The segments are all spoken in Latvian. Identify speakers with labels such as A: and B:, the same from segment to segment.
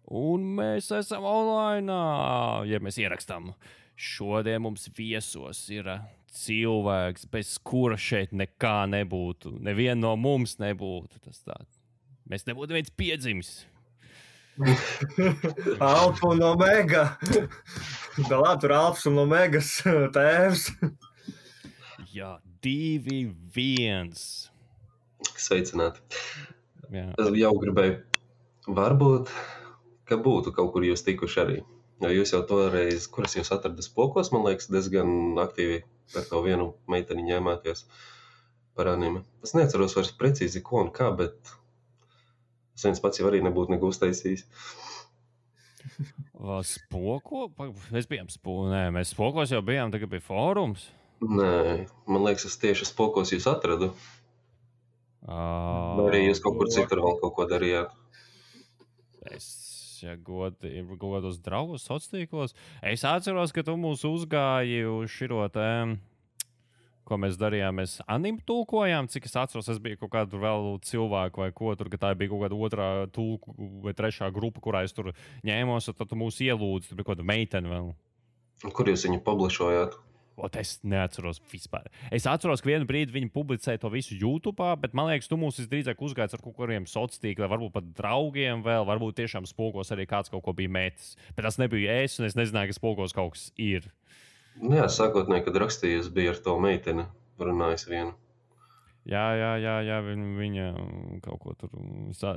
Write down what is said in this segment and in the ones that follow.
A: Un mēs esam online. Ja mēs ierakstām, šodien mums viesos ir cilvēks, bez kura šeit nekā nebūtu. Neviena no mums nebūtu. Mēs nebūtu viens piedzimis.
B: Alfa un Omega. Galā tur Alfas un Omegas tēvs.
A: Jā, 2-1.
C: Sveicināti.
A: Jā.
C: Es jau gribēju, varbūt, ka būtu kaut kur jūs tikuši arī. Jo jūs jau toreiz, kuras jūs atradat spokos, man liekas, diezgan aktīvi ar to vienu meiteni ņēmāties par anime. Es neatceros vairs precīzi, ko un kā, bet es viens pats jau arī nebūtu neko uztaisījis.
A: Spoko? Mēs bijām mēs spokos jau bijām, tagad bija fórums.
C: Nē, man liekas, es tieši spokos jūs atradu. Vai arī jūs kaut kur citur vēl kaut ko darījāt?
A: Es godos draugus sociālos. Es atceros, ka tu mūs uzgāji uz širo tēmu, ko mēs darījām. Mēs anime tulkojām, cik es atceros, es biju kaut kādu vēl cilvēku vai ko tur, ka tā bija kaut kāda otrā tulku vai trešā grupa, kurā es tur ņēmos, un tad tu mūs ielūdzi, tur bija kaut kāda meitene vēl.
C: Kur jūs viņu publišojāt?
A: Es neatceros vispār. Es atceros, ka vienu brīdi viņi publicēja to visu YouTube, bet man liekas, tu mūs visdrīzāk uzgājies ar kaut kādiem sociāliem tīkliem, varbūt pat draugiem vēl, varbūt tiešām spokos arī kāds kaut ko bija metis. Bet tas nebija es, un es nezināju, ka spokos kaut kas ir.
C: Jā, sākotnēji, kad rakstīju, es biju ar to meiteni runājis vienu.
A: Jā, viņa kaut ko tur,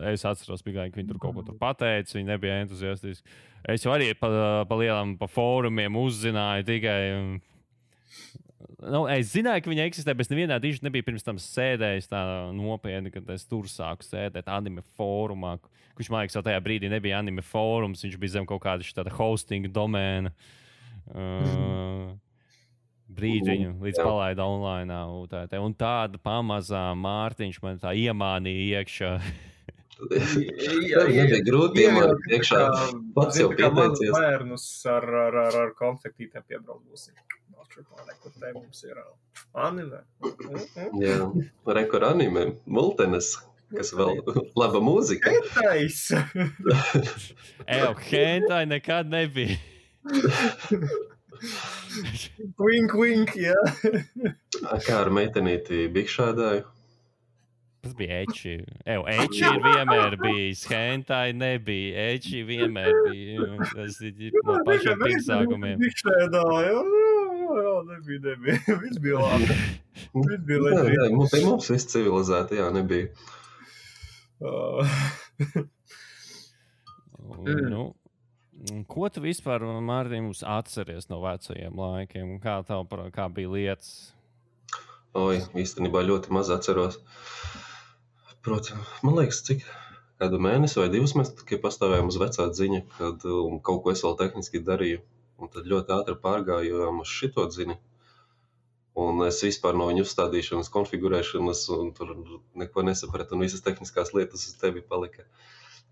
A: es atceros, ka viņa tur kaut ko tur pateica, viņa nebija entuziastiski. Es jau arī pa fórumiem uzzināju tikai... es zināju, ka viņa eksistē, bet nevienā diži nebija pirms tam sēdējis tā nopietni, kad es tur sāku sēdēt anime fórumā, kurš, man liekas, jau tajā brīdī nebija anime fórums, viņš bija zem kaut kāda šāda hosting domēna. Brīdi viņu līdz palaida online. Un tāda pamazām Mārtiņš man tā iemānīja iekšā.
C: Jā, nebija grūti iemānīt iekšā. Pats jau pieteicies.
B: Bērnus ar konfektītēm piebrauc. Kur te mums ir anime.
C: Jā, rekur anime, multenes, kas vēl laba mūzika.
B: Hentais!
A: Hentai nekad nebija.
B: Wink, jā.
C: Kā ar meitenīti bikšādāju?
A: Tas bija Eči. Eči ir vienmēr bijis. Hentai nebija. Eči vienmēr bija. Tas ir no pašiem pirmsākumiem.
B: Bikšādāju. Jā, nebija. Viss bija labi. Viss bija leģīgi.
C: Mums viss civilizēti, jā, nebija.
A: Ko tu vispār, Mārtiņ, mums atceries no vecajiem laikiem? Kā bija lietas?
C: Īstenībā ļoti maz atceros. Protams, man liekas, cik kādu mēnesi vai 2 mēs tikai pastāvējām uz vecā dziņa, kad kaut ko es vēl tehniski darīju. Un tad ļoti ātri pārgājām uz šito dzini. Un es vispār no viņu uzstādīšanas, konfigurēšanas, un tur neko nesapratu, un visas tehniskās lietas uz tevi palika.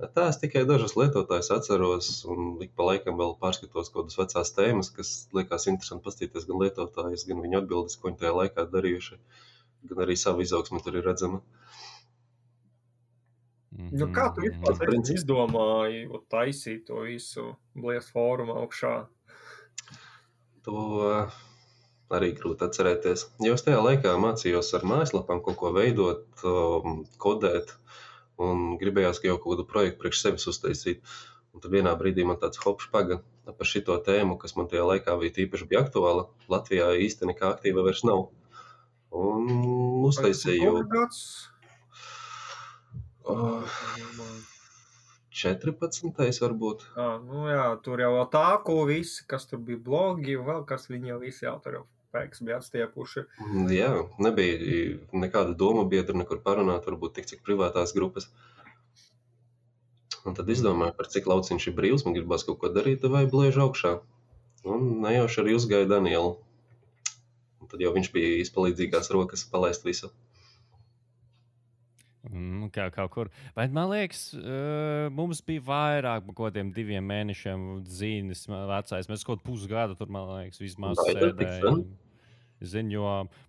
C: Tā es tikai dažas lietotājus atceros, un ik pa laikam vēl pārskatos kaut kādas vecās tēmas, kas liekas interesanti pastīties gan lietotājus, gan viņu atbildes, ko viņi tajā laikā darījuši, gan arī savu izaugsmi tur ir redzama.
B: Kā tu vispār izdomāji taisīt to visu Blies fóruma augšā?
C: To arī grūti atcerēties. Jo es tajā laikā mācījos ar mājaslapām kaut ko veidot, kodēt, un gribējās jau kaut kādu projektu priekš sevis uztaisīt. Un tad vienā brīdī man tāds hopšpaga par šito tēmu, kas man tajā laikā tīpaši bija aktuāla. Latvijā īsti nekā aktīva vairs nav. Un uztaisīju... 14. varbūt.
B: Jā, tur jau tā, ko visi, kas tur bija blogi, vēl kas viņi jau visi jau tur jau pēks bija atstiepuši.
C: Jā, nebija nekāda doma biedra, nekur parunāt, varbūt tik cik privātās grupas. Un tad izdomāju, par cik lauciņš ir brīvs, man gribās kaut ko darīt, vai bliežu augšā. Un nejauši arī uzgāja Danielu. Un tad jau viņš bija izpalīdzīgās rokas palaist visu.
A: Kā kaut kur. Bet man liekas, mums bija vairāk par kaut kādiem 2 mēnešiem dzīves vecais. Mēs kaut pusgadu tur, man liekas, vismaz sēdējām. Zinu, jo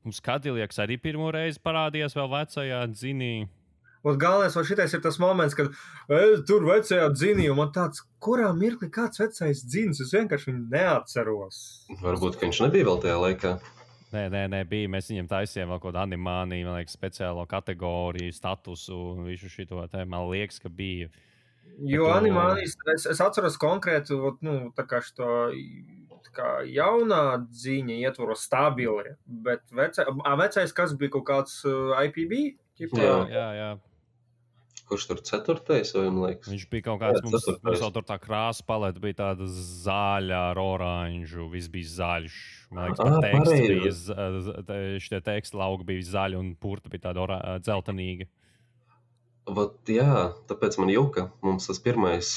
A: mums Kadiljaks arī pirmo reizi parādījās vēl vecajā dzinī.
B: Un galvenais, vai šitais ir tas moments, kad tur vecajā dzinī, un man tāds, kurā mirklī kāds vecais dzins, es vienkārši viņu neatceros.
C: Varbūt, ka viņš nebija vēl tajā laikā.
A: Nē, bija. Mēs viņam taisījām vēl kaut kādu animāciju, man liekas, speciālo kategoriju, statusu, visu šito te, man liekas, ka bija.
B: Jo animācijas, es atceros konkrētu, tā kā šito, tā kā jaunā dziņa ietvaros stabili, bet vecais, kas bija kaut kāds IPB?
A: Jā.
C: Kurš tur 4. vai, man liekas?
A: Viņš bija kaut kāds, mums vēl tur tā krāsa paleta bija tāda zaļa ar oranžu, viss bija zaļš. Man liekas, šitie teksti lauki bija zaļi un purta bija tāda dzeltenīga.
C: Jā, tāpēc man juka. Mums tas pirmais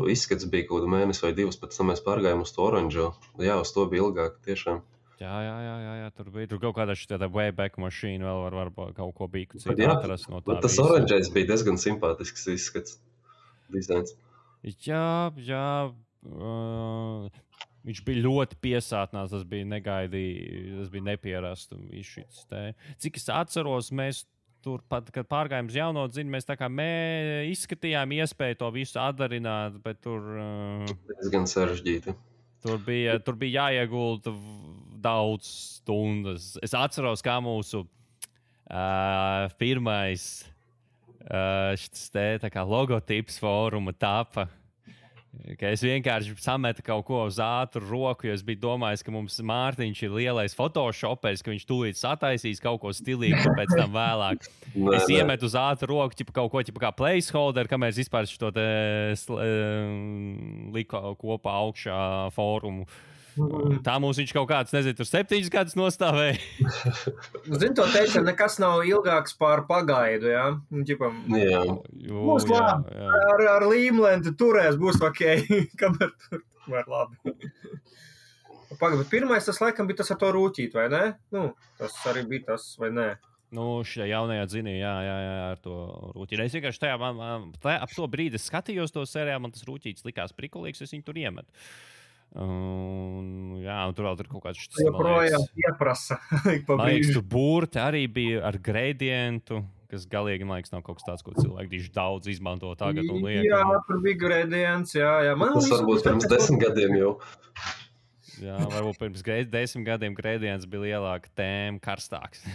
C: izskats bija kaut kādu mēnesi vai 2, pēc tam mēs pārgājām uz to oranžo. Jā, uz to bija ilgāk, tiešām.
A: Jā, tur bija kaut kāda šitā Wayback mašīna, vēl var kaut ko bija citu atrast no tā.
C: Tas oranžais bija diezgan simpātisks izskats, dizains.
A: Jā. Viņš bija ļoti piesātnāts, tas bija negaidīts, tas bija nepierasts. Cik es atceros, mēs tur pat, kad pārgājām uz jauno dzinu, mēs tā kā izskatījām iespēju to visu atdarināt, bet tur...
C: diezgan sarežģīti.
A: Tur bija jāiegulda daudz stundas. Es atceros, kā mūsu pirmais logotips fóruma tapa. Ka es vienkārši sametu kaut ko uz ātru roku, jo es biju domājis, ka mums Mārtiņš ir lielais photoshopers, ka viņš tūlīt sataisīs kaut ko stilīgu, un pēc tam vēlāk. Es iemetu uz ātru roku kaut ko kā placeholder, kamēr es vispār šo te liku kopā augšā fórumu. Tā mums viņš kaut kāds, nezinu, tur 7 gadus nostāvēja.
B: Zinu, to teikt, ka nekas nav ilgāks par pagaidu, jā?
C: Jā.
B: Būs labi, ar līmlenti turēs, būs ok, kamēr tur var labi. Pagaidu, bet pirmais tas laikam bija tas ar to rūķīt, vai ne? Tas arī bija tas, vai ne?
A: Šajā jaunajā dzinī, jā, ar to rūķīti. Es vienkārši ap to brīdi skatījos to sērijā, man tas rūķītis likās prikulīgs, es viņu tur iemetu. Un tur vēl ir kaut kāds šis.
B: Joprojām ieprasa.
A: Man liekas, tur burti arī bija ar gradientu, kas galīgi, man liekas, nav kaut kas tāds, ko cilvēki tieši daudz izmanto tagad un liek.
B: Jā, tur bija gradients, jā.
C: Tas varbūt pirms 10 gadiem jau.
A: Jā, varbūt pirms 10 gadiem gradients bija lielāka tēma, karstāks.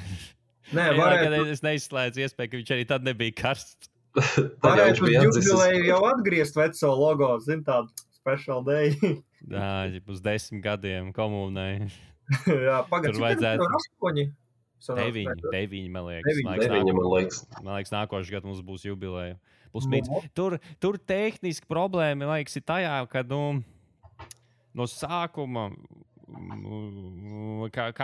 B: Nē, varētu.
A: Es neizslēdzu iespēju, ka viņš arī tad nebija karsts.
B: Varētu uz jubileju jau atgriezt veco logo, zin tādu special day.
A: Jā, uz 10 gadiem komunai.
B: Jā, pagad,
A: tur vajadzētu
B: 8.
A: 9, man liekas. Man liekas, nākošais gads mums būs jubileja. Tur tehniski problēma, man liekas, ir tajā, ka no sākuma kā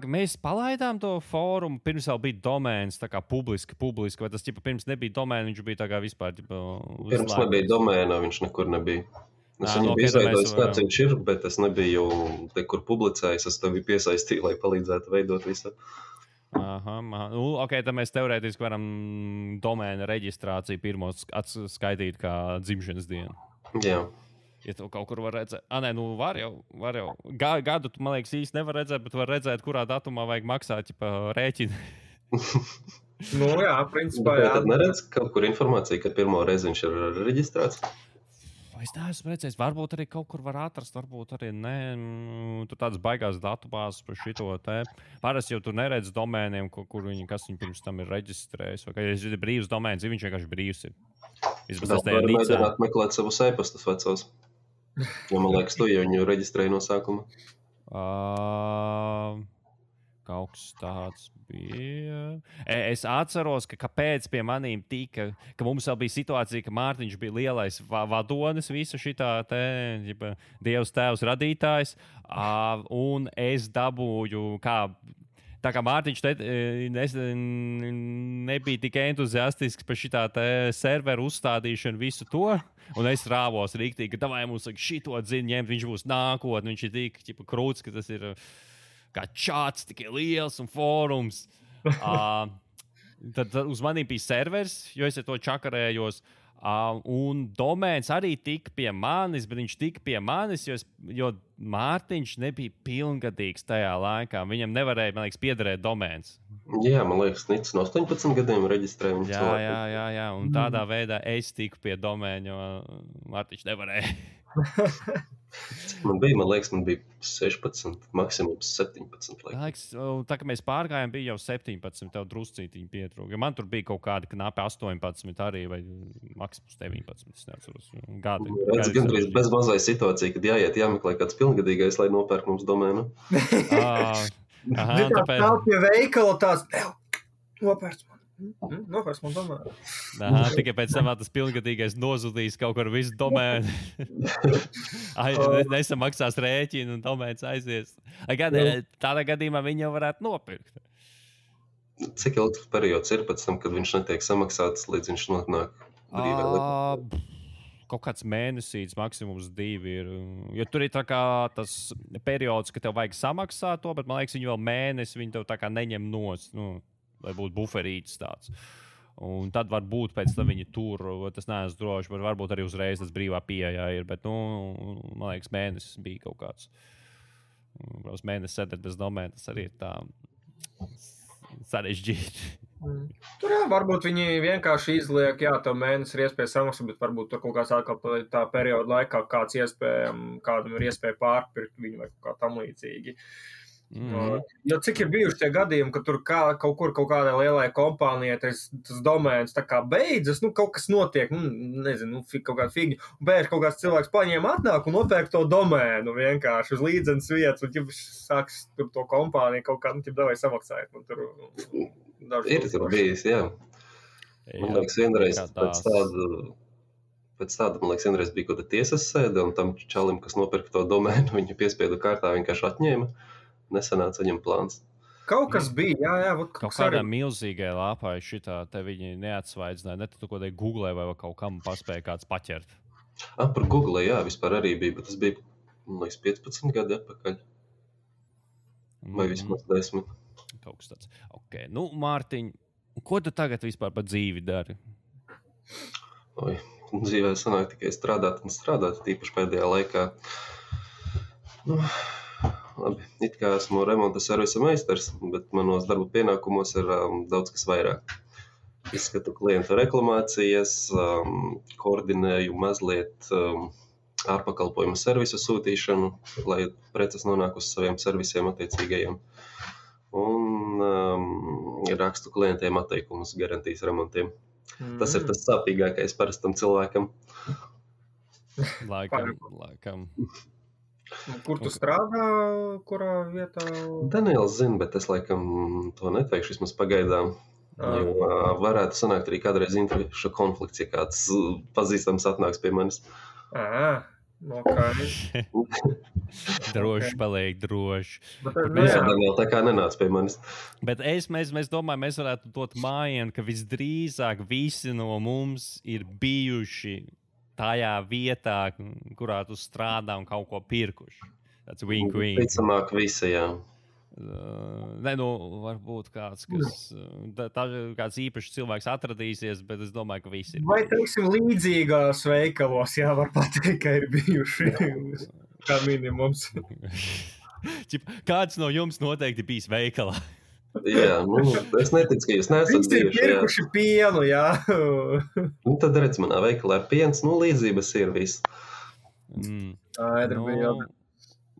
A: mēs palaidām to fórumu, pirms vēl bija domēns, tā kā publiski, vai tas pirms nebija domēna, viņš bija tā kā vispār.
C: Pirms nebija domēna, viņš nekur nebija. Es viņu biju izveidojis, kāds viņš ir, bet es nebiju kur publicējis, es tevi piesaistīju, lai palīdzētu veidot visu.
A: Ok, tad mēs teorētiski varam domēna reģistrāciju pirmo atskaitīt kā dzimšanas dienu.
C: Jā.
A: Ja tu kaut kur var redzēt, var jau. Gadu, man liekas, īsti nevar redzēt, bet var redzēt, kurā datumā vajag maksāt rēķinu.
B: Jā, principā, jā.
C: Tad neredz kaut kur informāciju, ka pirmo reizi viņš ir reģistrēts?
A: Es neesmu redzējis, varbūt arī kaut kur var atrast, varbūt arī ne. Tur tādas baigās datubāzes par šito te. Parasti jau tur neredz domēniem, kas viņi pirms tam ir reģistrējis. Vai ja ir brīvs domēns, viņš vienkārši brīvs ir.
C: Tas var mēģināt meklēt savus e-pastus vecos. Jo man liekas, tu jau viņu reģistrēji no sākuma.
A: Kaut kas tāds bija. Es atceros, ka kāpēc pie manīm tika, ka mums vēl bija situācija, ka Mārtiņš bija lielais vadonis, visa šitā te, Dievs tēvs radītājs, un es dabūju, tā kā Mārtiņš nebija tik entuziastisks par šitā te serveru uzstādīšanu visu to, un es rāvos rīktīgi, ka davai mums šito dzinu ņemt, viņš būs nākotne, viņš ir tik krūts, ka tas ir kā čāts, tikai liels un fórums. Tad uz maniem bija servers, jo es ar to čakarējos. Un domēns arī tika pie manis, bet viņš tika pie manis, jo Mārtiņš nebija pilngadīgs tajā laikā. Viņam nevarēja, man liekas, piederēt domēns.
C: Jā, man liekas, Nits no 18 gadiem reģistrē viņu cilvēku.
A: Jā. Un tādā veidā es tiku pie domēņa, jo Mārtiņš nevarēja.
C: Man bija 16, maksimums 17.
A: Tā kā mēs pārgājām, bija jau 17, tev druscītiņi pietrūka. Man tur bija kaut kādi knapi 18 arī, vai maksimums 19, es neatceros.
C: Redz, gandrīz bez mazai situācija, kad jāmeklē kāds pilngadīgais, lai nopērk mums domēnu.
B: Tāpēc... Tā pie veikala tās, nopērts man. Nopērts man domēnu.
A: Tikai pēc tam tas pilngadīgais nozudīs kaut kur visu domēnu. Nesamaksās rēķinu un domēns aizies. Tādā gadījumā viņi jau varētu nopirkt.
C: Cik ilgs periods ir pēc tam, kad viņš netiek samaksāts, līdz viņš nonāk brīvē likumā?
A: Kaut kāds mēnesīts, maksimums 2 ir. Jo tur ir tā kā tas periods, ka tev vajag samaksāt to, bet man liekas, viņi vēl mēnesi, viņi tev tā kā neņem nost, lai būtu buferītis tāds. Un tad varbūt pēc tam viņi tur, tas neesmu droši, bet varbūt arī uzreiz tas brīvā pieejā ir, bet, man liekas, mēnesis bija kaut kāds. Protams, mēnesis sēdēt bez domēna, tas arī ir tā sarežģīti.
B: Tur varbūt viņi vienkārši izliek, tev mēnesis ir iespēja samaksāt, bet varbūt tur kaut kāds atkal tā perioda laikā kādam ir iespēja pārpirkt viņu vai kaut kā tam līdzīgi. Jo cik ir bijuši tie gadījumi, ka tur kaut kādai lielai kompānijai tas domēns tā kā beidzas, kaut kas notiek, nezinu, kaut kāda figņa, un bēž kaut kāds cilvēks paņēma atnāk un nopērk to domēnu vienkārši uz līdzenas vietas, un ķip sāks tur to kompāniju kaut kā, davai samaksājot, un tur
C: ir tur bijis, jā. Man liekas, vienreiz pēc tāda, man liekas, vienreiz bija kaut kāda tiesas sēde, un tam čalim, kas nopirka to domēnu, viņa piespiedu kārtā vienkārši atņēma. Nesanāca viņam plāns.
B: Kaut kas bija, jā.
A: Kaut kādā milzīgai lāpā šitā te viņi neatsvaidzināja, ne tu kaut kādai Google vai kaut kam paspēja kāds paķert.
C: Par Google, jā, vispār arī bija, bet tas bija, man liekas, 15 gadi atpakaļ. Vai vismaz 10.
A: Kaut kas tāds. Ok, Mārtiņ, ko tu tagad vispār par dzīvi dari?
C: Dzīvē sanāk tikai strādāt, tīpaši pēdējā laikā. Labi, it kā esmu remonta servisa meistars, bet manos darba pienākumos ir daudz kas vairāk. Izskatu klientu reklamācijas, koordinēju mazliet ārpakalpojumu servisu sūtīšanu, lai preces nonāk uz saviem servisiem attiecīgajiem. Un rakstu klientiem atteikumus garantijas remontiem. Tas ir tas sāpīgākais parastam cilvēkam.
A: Laikam.
B: Kur tu strādā, kurā vietā?
C: Daniels zina, bet es laikam to neteikšu, vismaz pagaidām. Jo varētu sanākt arī kādreiz interešu konflikts, ja kāds pazīstams atnāks pie manis.
B: Okay.
A: Droši paliek, droši.
C: Daniel tā kā nenāc pie manis.
A: Bet mēs domājam, mēs varētu dot mājienu, ka visdrīzāk visi no mums ir bijuši tajā vietā, kurā tu strādā un kaut ko pirkuši. Tāds wink.
C: Ticamāk visi, jā.
A: Varbūt kāds kāds īpašs cilvēks atradīsies, bet es domāju, ka visi ir.
B: Vai, teiksim, līdzīgās veikalos, var pateikt, ka ir bijuši kā minimums.
A: Kāds no jums noteikti bijis veikalā?
C: Jā, es neticu, ka jūs neesat bijuši.
B: Visi ir pirkuši pienu, jā.
C: Tad redz, manā veikalā ir piens, līdzības ir viss.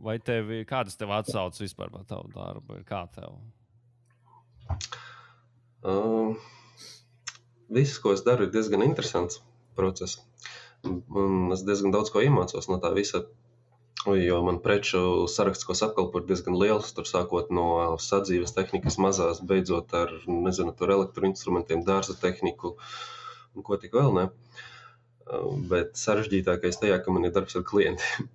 A: Vai kādas tev atsaucas vispār par tavu darbu? Kā tev?
C: Viss, ko es daru, ir diezgan interesants process. Un es diezgan daudz ko iemācos no tā visa. Jo man preču saraksts, ko apkalpo, ir diezgan liels, tur sākot no sadzīves tehnikas mazās, beidzot ar, tur elektroinstrumentiem, dārza tehniku un ko tik vēl, ne. Bet sarežģītākais tajā, ka man ir darbs ar klientiem,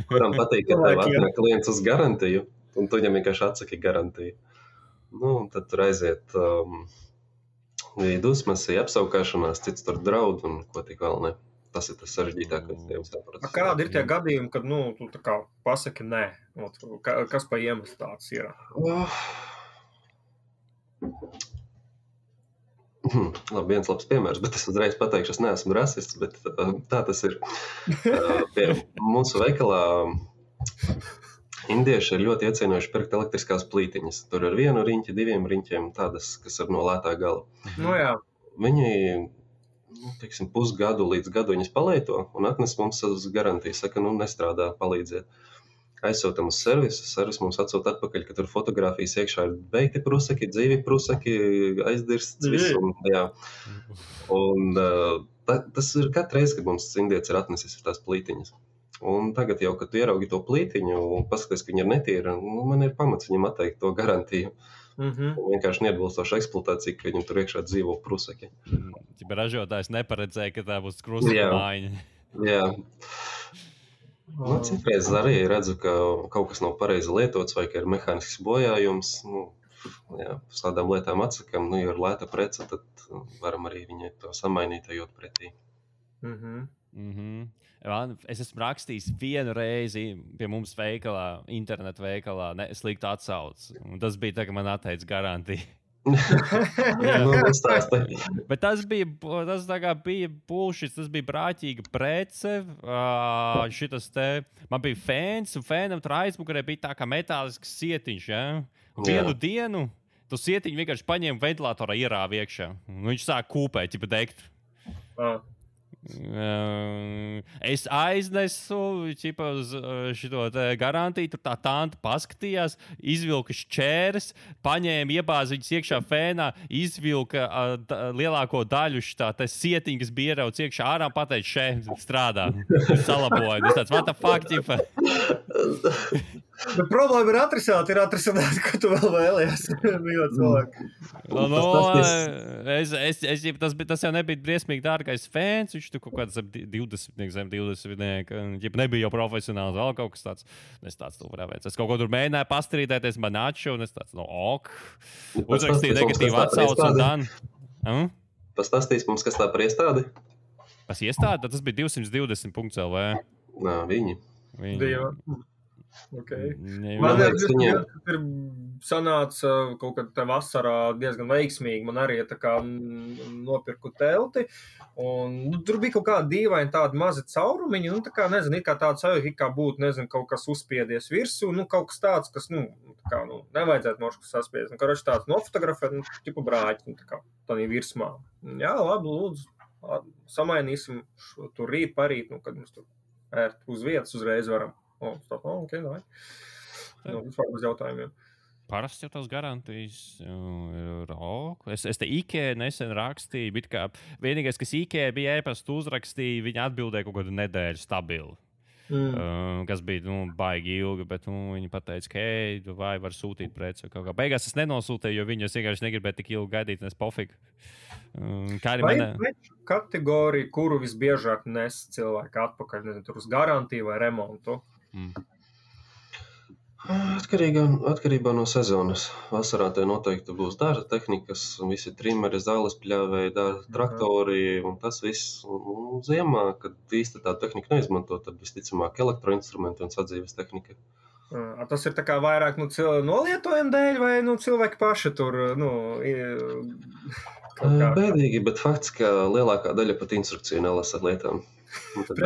C: kuram patīk, ka tev atnāk klients uz garantiju, un tu viņam vienkārši atsaki garantiju. Tad tur aiziet dusmas, apsaukāšanās, cits tur draud un ko tik vēl, ne. Tas ir tas sarežģītākais.
B: Kādi ir tie gadījumi, kad tu tā kā pasaki nē? Kas pa iemeslu tāds ir?
C: Labi, viens labs piemērs, bet es uzreiz pateikšu, es neesmu rasists, bet tā tas ir. Pie mūsu veikalā Indieši ir ļoti iecienojuši pirkt elektriskās plītiņas. Tur ir 1 riņķi, 2 riņķiem, tādas, kas ir no lētā gala.
B: Nu, jā.
C: Viņi, teiksim, pusgadu līdz gadu viņas palieto un atnes mums uz garantiju. Saka, nestrādā, palīdziet. Aizsūtam uz servisu, servis mums atsūta atpakaļ, ka tur fotogrāfijas iekšā ir beigti prusaki, dzīvi prusaki, aizdirsts, viss. Un tas ir katru reizi, kad mums indietis ir atnesis tās plītiņas. Un tagad jau, kad tu ieraugi to plītiņu un paskaties, ka viņa ir netīra, man ir pamats viņam atteikt to garantiju. Vienkārši neatbilstoša eksploatācija, ka viņam tur iekšā dzīvo prusaki.
A: Ja ražotājs neparedzēja, ka tā būs krusaka mājiņa.
C: Jā. Citreiz arī redzu, ka kaut kas nav pareizi lietots vai ka ir mehānisks bojājums. Uz tādām lietām atsakam, ja ir lēta prece, tad varam arī viņai to samainīt, ejot pretī.
A: Es esmu rakstījis 1 reizi pie mums veikalā, internetu veikalā, sliktu atsauci. Tas bija tā, ka man atteica garantiju. Bet tas bija bullshit, tas bija brāķīga prece. Man bija fēns, un fēnam tur aizmugurē bija tā kā metālisks sietiņš. Ja? Vienu dienu tu sietiņu vienkārši paņēma ventilatorā ierāva iekšā. Viņš sāk kūpēt, ja degt. Es aiznesu uz šito garantiju, tur tā tanta paskatījās, izvilka šķēres, paņēma, iebāza viņas iekšā fēnā, izvilka lielāko daļu šitā sietiņu, kas bija ierauts iekšā ārā, pateica, šeit strādā, salaboja. Es tāds, what the fuck, ķipa?
B: Bet problēma ir atrisināt, ko tu vēl vēlies.
A: Tas jau nebija briesmīgi dārgais fēns, viņš tur kaut kāds 20. Nebija jau profesionāls, vēl kaut kas tāds. Es tāds tu varētu veic. Es kaut ko tur mēģināju pastrīdēties, man atšu, un es tāds, ok. Uzrakstīju negatīvu atsaucu un dan.
C: Pastāstīs mums, kas tā par iestādi?
A: Pas iestādi? Tas bija 220.lv.
C: Nā, viņi.
B: Okay. Man ir sanāca kaut kad te vasarā diezgan veiksmīgi. Man arī tā kā nopirku telti. Un tur bija kaut kāda dīvaina tāda maza caurumiņa. Tā kā, nezinu, kā tāds kā būtu, nezinu, kaut kas uzspiedies virsū. Kaut kas tāds, kas, nevajadzētu mošku saspiedies. Karoči tāds nofotografēt, tipu brāķi, tā kā tādā virsmā. Jā, labi, lūdzu, samainīsim tur rīt, parīt, kad mums tur ērt uz vietas uzreiz varam. Okay, vispār bez jautājumiem.
A: Parasti jau tās garantijas ir ok. Es te IKEA nesen rakstīju, bet kā vienīgais, kas IKEA bija ēpastu uzrakstīja, viņi atbildēja kaut kādu nedēļu stabili. Kas bija baigi ilgi, bet viņi pateica, ka vai var sūtīt preci. Beigās es nenosūtīju, jo viņi vienkārši negribēja tik ilgi gaidīt, nes pofīgi.
B: Vai kategorija, kuru visbiežāk nes cilvēki atpakaļ, nezinu, tur uz garantiju vai remontu?
C: Atkarībā no sezonas. Vasarā te noteikti būs dārza tehnikas, visi trimeri, zāles pļāvēji, traktori un tas viss. Ziemā, kad īsti tā tehnika neizmanto, tad visticamāk elektroinstrumenti un sadzīves tehnika.
B: Tas ir tā kā vairāk nolietojumu dēļ vai cilvēki paši tur,
C: Bēdīgi, bet fakts, ka lielākā daļa pat instrukciju nelasa lietām. Tad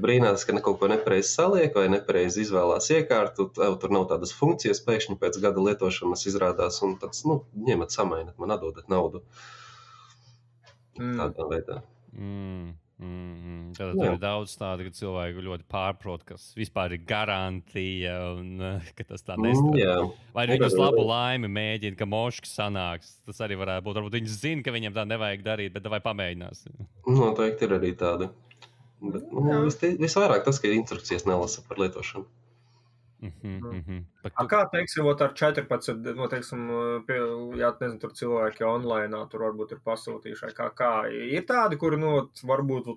C: brīnās, ka kaut ko nepareizi saliek vai nepareizi izvēlās iekārtu, tur nav tādas funkcijas, pēkšņi pēc gada lietošanas izrādās un tāds, ņemat samainat, man atdodat naudu. Tādā veidā.
A: Tad ir daudz tādu, ka cilvēki ļoti pārprot, kas vispār ir garantija un ka tas tā nestrādā. Vai viņi uz labu laimi mēģina, ka moškas sanāks. Tas arī varētu būt. Varbūt viņi zina, ka viņiem tā nevajag darīt, bet vai pamēģinās.
C: Noteikti ir arī tādi. Bet, visvairāk tas, ka instrukcijas nelasa par lietošanu.
B: Kā, teiksim, ar 14, nezinu, tur cilvēki online, tur varbūt ir pasūtījuši, kā ir tādi, kuri, varbūt,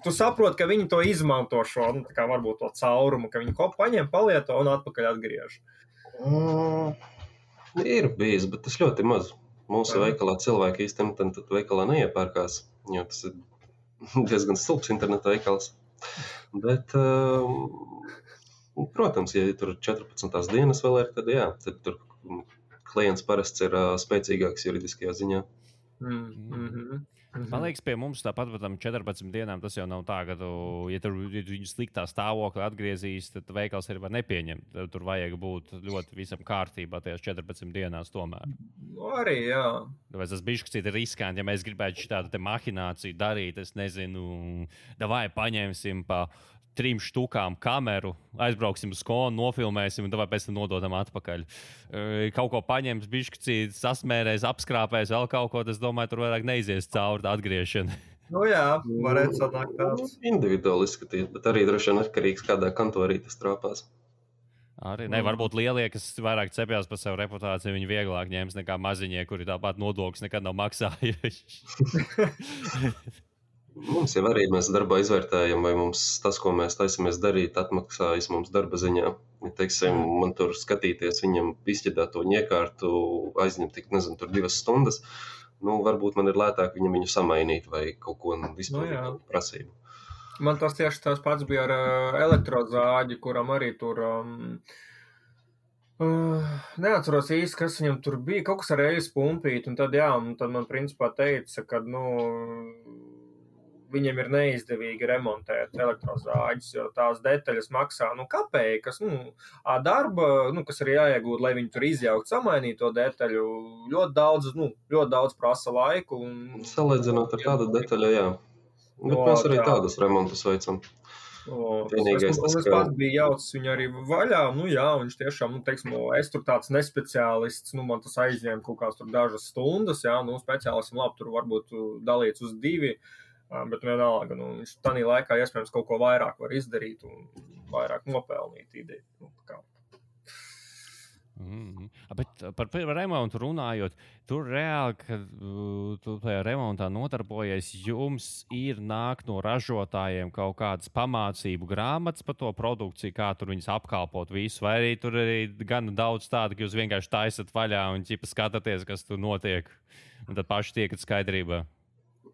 B: tu saproti, ka viņi to izmanto šo, kā varbūt to caurumu, ka viņi paņem, palieto un atpakaļ atgriež.
C: Ir bijis, bet tas ļoti maz. Mūsu veikalā cilvēki īstenībā tad veikalā neiepērkās, jo tas ir diezgan stulbs interneta veikals. Bet... Protams, ja tur 14 dienas vēl ir, tad jā, tad tur klients parasti ir spēcīgāks juridiskajā ziņā.
A: Man liekas, pie mums tāpat par tam 14 dienām tas jau nav tā, ka ja viņu sliktā stāvokli atgriezīs, tad veikals arī var nepieņemt. Tur vajag būt ļoti visam kārtībā tajās 14 dienās tomēr.
B: Arī, jā.
A: Tāpēc tas bišķi ir riskanti, ja mēs gribētu šādu te mahināciju darīt, es nezinu, davai paņemsim pa 3 štukām kameru, aizbrauksim uz skolu, nofilmēsim un tad pēc tam nododam atpakaļ. Kaut ko paņems, bišķi sasmērēs, apskrāpēs, vēl kaut ko, tas, domāju, tur vairāk neizies cauri tā atgriešana.
B: Nu jā, varētu sanākt tāds.
C: Individuāli izskatīt, bet arī droši vien atkarīgs, kādā kantorī tas trāpās.
A: Arī, ne, varbūt lielie, kas vairāk cepjās par savu reputāciju, viņi vieglāk ņems nekā maziņie, kuri tāpat nodokļus nekad nav maksājuši.
C: Mums jau arī mēs darbā izvērtējam, vai mums tas, ko mēs taisamies darīt, atmaksājas mums darba ziņā. Ja, teiksim, man tur skatīties viņam izķedāto iekārtu, aizņemt tik, nezinu, tur 2 stundas, nu, varbūt man ir lētāk viņu samainīt vai kaut ko izpildīt prasību.
B: Man tas tieši tas pats bija ar elektrozāģi, kuram arī tur... neatceros īsti, kas viņam tur bija, kaut kas ar eļas pumpīt, un tad, jā, un tad man principā teica, ka, viņiem ir neizdevīgi remontēt elektrozāģis, jo tās detaļas maksā, kapeikas, darba, kas arī jāiegūt, lai viņi tur izjaukt, samainīt to detaļu, ļoti daudz prasa laiku.
C: Salīdzinot ar tādu detaļu, jā. Bet mēs arī tādus remontus veicam.
B: Es pats biju jaucis viņu arī vaļā, viņš tiešām, es tur tāds nespeciālists, man tas aizņēma kaut kāds tur dažas stundas, speciālistam labi, tur varbūt dalīts uz 2, bet vienalga, viņš tādā laikā iespējams kaut ko vairāk var izdarīt un vairāk nopelnīt ideju.
A: Bet par remontu runājot, tur reāli, kad tu tajā remontā nodarbojies, jums ir nāk no ražotājiem kaut kādas pamācību grāmatas par to produkciju, kā tur viņas apkalpot visu, vai arī tur arī gan daudz tādu, ka jūs vienkārši taisat vaļā un skatāties, kas tur notiek, un tad paši tiekat skaidrībā?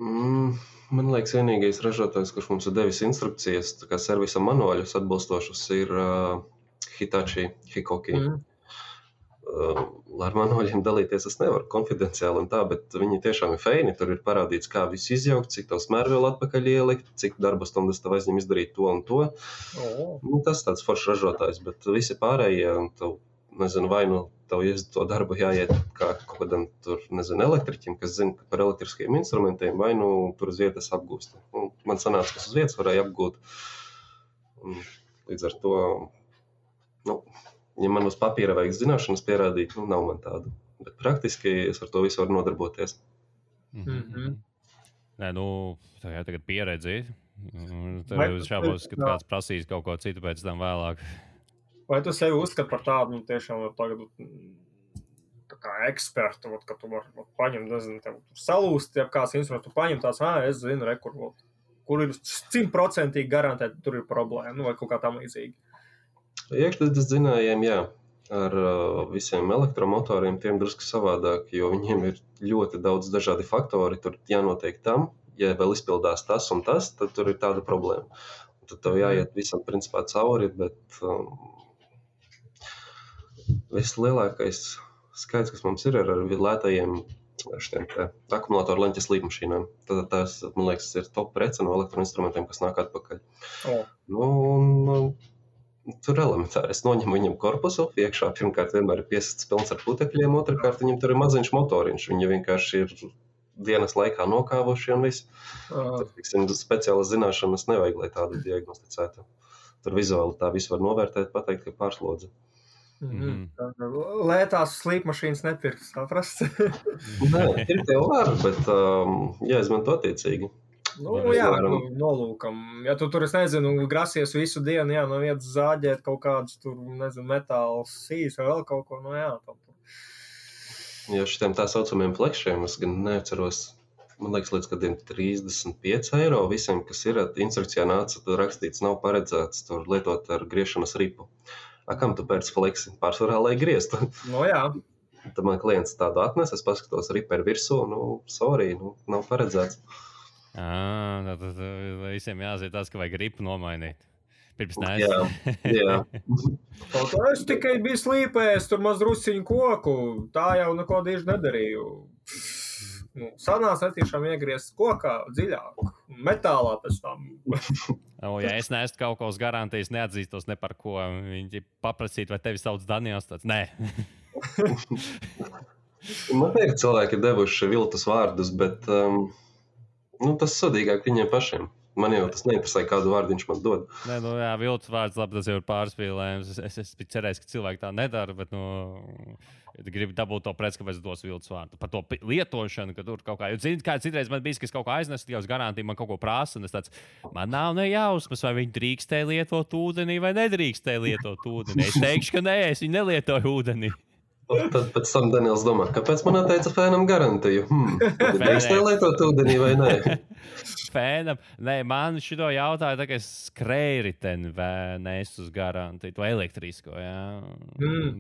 C: Man liekas, vienīgais ražotājs, kurš mums ir devis instrukcijas, tā kā servisa manuāļus atbilstošus, ir Hitachi, Hikoki. Ar manuāļiem dalīties es nevaru konfidenciāli un tā, bet viņi tiešām ir feini. Tur ir parādīts, kā visu izjaukt, cik tev smērvielu atpakaļ ielikt, cik darba stundas tev aizņem izdarīt to un to. Tas tāds foršs ražotājs, bet visi pārējie, tev, nezinu, vai tev to darbu jāiet kā kaut kādam tur, nezinu, elektriķim, kas zina par elektriskiem instrumentiem, vai tur uz vietas apgūst. Man sanāca, kas uz vietas varēja apgūt. Līdz ar to, ja man uz papīra vajag zināšanas pierādīt, nav man tādu. Bet praktiski es ar to visu varu nodarboties.
A: Nē, tā jau tagad pieredzi. Tev šābos, kad kāds prasīs kaut ko citu pēc tam vēlāk.
B: Vai tu sevi uzskati par tādu, tiešām tagad tā kā ekspertu, ka tu vari paņemt, nezinu, tev salūst, ja kāds instruments, tu paņem tās, es zinu, kur ir 100% garantēti, tur ir problēma, vai kaut kā tam līdzīgi.
C: Iekšzemes dzinējiem, jā, ar visiem elektromotoriem tiem drusku savādāk, jo viņiem ir ļoti daudz dažādi faktori, tur jānotiek tam, ja vēl izpildās tas un tas, tad tur ir tāda problēma. Tad tev jāiet visam principā cauri, bet vislielākais skaits, kas mums ir ar lētajiem akumulātoru leņķes līdmašīnām. Tad tās, man liekas, ir top prece no elektroinstrumentiem, kas nāk atpakaļ. Tur elementāri. Es noņemu viņam korpusu, iekšā pirmkārt vienmēr ir piesists pilns ar putekļiem, otrkārt viņam tur ir maziņš motoriņš. Viņi vienkārši ir dienas laikā nokāvuši un viss. Tad, speciālas zināšanas nevajag, lai tādu diagnosticētu. Tur vizuāli tā visu var novērtēt, pateikt, ka pārslodze.
B: Lētās slīpmašīnas nepirks, atrast?
C: Nē, pirkt jau var, bet jāizmanto attiecīgi.
B: Nolūkam. Ja tu tur, es nezinu, grasies visu dienu, no vietas zāģēt kaut kādus tur, nezinu, metāls sīs vai vēl kaut ko,
C: Ja šitiem tā saucamiem flekšiem, es gan neatceros, man liekas, līdz kādiem 35 eiro visiem, kas ir instrukcijā nāca, tur rakstīts, nav paredzēts tur lietot ar griešanas ripu. Kam tu pēc fleksi? Pārsvarā, lai grieztu. Tad man klients tādu atnes, es paskatos ripu ar virsū, nav paredzēts.
A: Tad visiem jāzīt tas, ka vajag ripu nomainīt. Pirms
C: Jā.
B: Es tikai biju slīpējis, tur maz drusciņu koku, tā jau neko dīži nedarīju. sanās netiešām iegriezt kokā dziļāk, metālā pēc tam.
A: Ja es neesmu kaut ko uz garantijas, neatzīstos ne par ko. Viņi paprasīt, vai tevi sauc Daniels, tāds nē.
C: Man liekas, cilvēki ir devuši viltus vārdus, bet tas sodīgāk viņiem pašiem. Man jau tas neinteresē, kādu vārdu viņš man dod.
A: Nē, jā, viltus vārds, labi, tas jau ir pārspīlējums. Es biju cerējis, ka cilvēki tā nedara, bet, gribu dabūt to preci, kāpēc dos viltus vārdu. Par to lietošanu, ka tur kaut kā, jo zini, kā citreiz man bija, ka es kaut ko aiznesu, tikai uz garantiju man kaut ko prasa, un es tāds, man nav nejausmas, vai viņi drīkstēja lietot ūdenī vai nedrīkstēja lietot ūdenī. Es teikšu, ka nē, es viņu nelietoju ūdenī.
C: Tad pēc tam Daniels domā, kāpēc man atteica fēnam garantiju? Drīkstēja lietot ūdenī vai nē?
A: Fēnam, nē, man šito jautāja, tā kā es skrēju riteni vai nesu uz garantiju, to elektrisko, jā.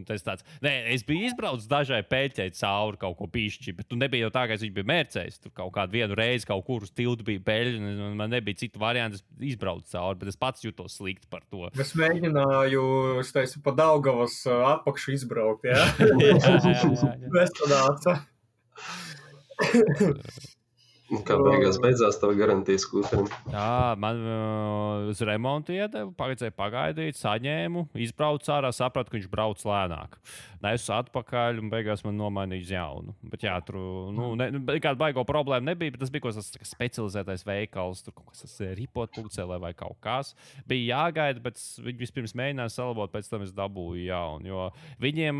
A: Tas tāds, nē, es biju izbraucis dažai peļķei cauri kaut ko pišķi, bet tu nebija jau tā, ka viņš bija mērcējis. Tur kaut kādu vienu reizi kaut kur uz tiltu bija peļķi, un man nebija citu variantu, es izbraucu cauri, bet es pats jūtos slikti par to.
B: Es mēģināju, es teicu, pa Daugavas apakšu izbraukt, jā?
A: Jā.
B: Nesanāca.
C: Kā beidzās tava garantijas skūterim?
A: Jā, man uz remontu iedevu, pagaidīt, saņēmu, izbraucu ārā, sapratu, ka viņš brauc lēnāk. Nesu atpakaļ un beigās man nomainīja uz jaunu. Bet jā, tur, kāda baigo problēma nebija, bet tas bija kaut kas specializētais veikals, tur kaut kas ripotpunkcelē vai kaut kas. Bija jāgaida, bet viņi vispirms mēģināja salabot, pēc tam es dabūju jaunu. Jo viņiem,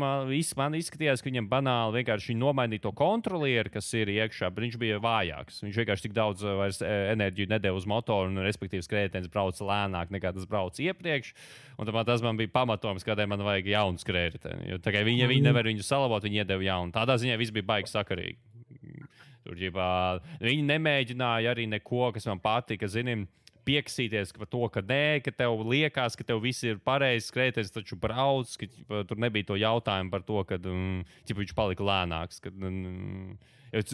A: man izskatījās, ka viņiem banāli vienkārši nomainīja to kontrolieri, kas ir iekšā, bet viņš bija vājāks. Viņš vienkārši tik daudz vairs enerģiju nedēva uz motoru, un respektīvi skrējējiens brauca lēnāk nekā tas brauca iepriekš. Un tas man bija pamatojums, kādēļ man vajag jaunu skrējējienu. Jo tā kā viņi nevar viņu salabot, viņi iedeva jaunu. Tādā ziņā viss bija baigi sakarīgi. Tur viņi nemēģināja arī neko, kas man patika, pieksīties par to, ka nē, ka tev liekas, ka tev viss ir pareizi, skrējējiens taču brauc, ka tur nebija to jautājumu par to, ka viņš palika lēnāks.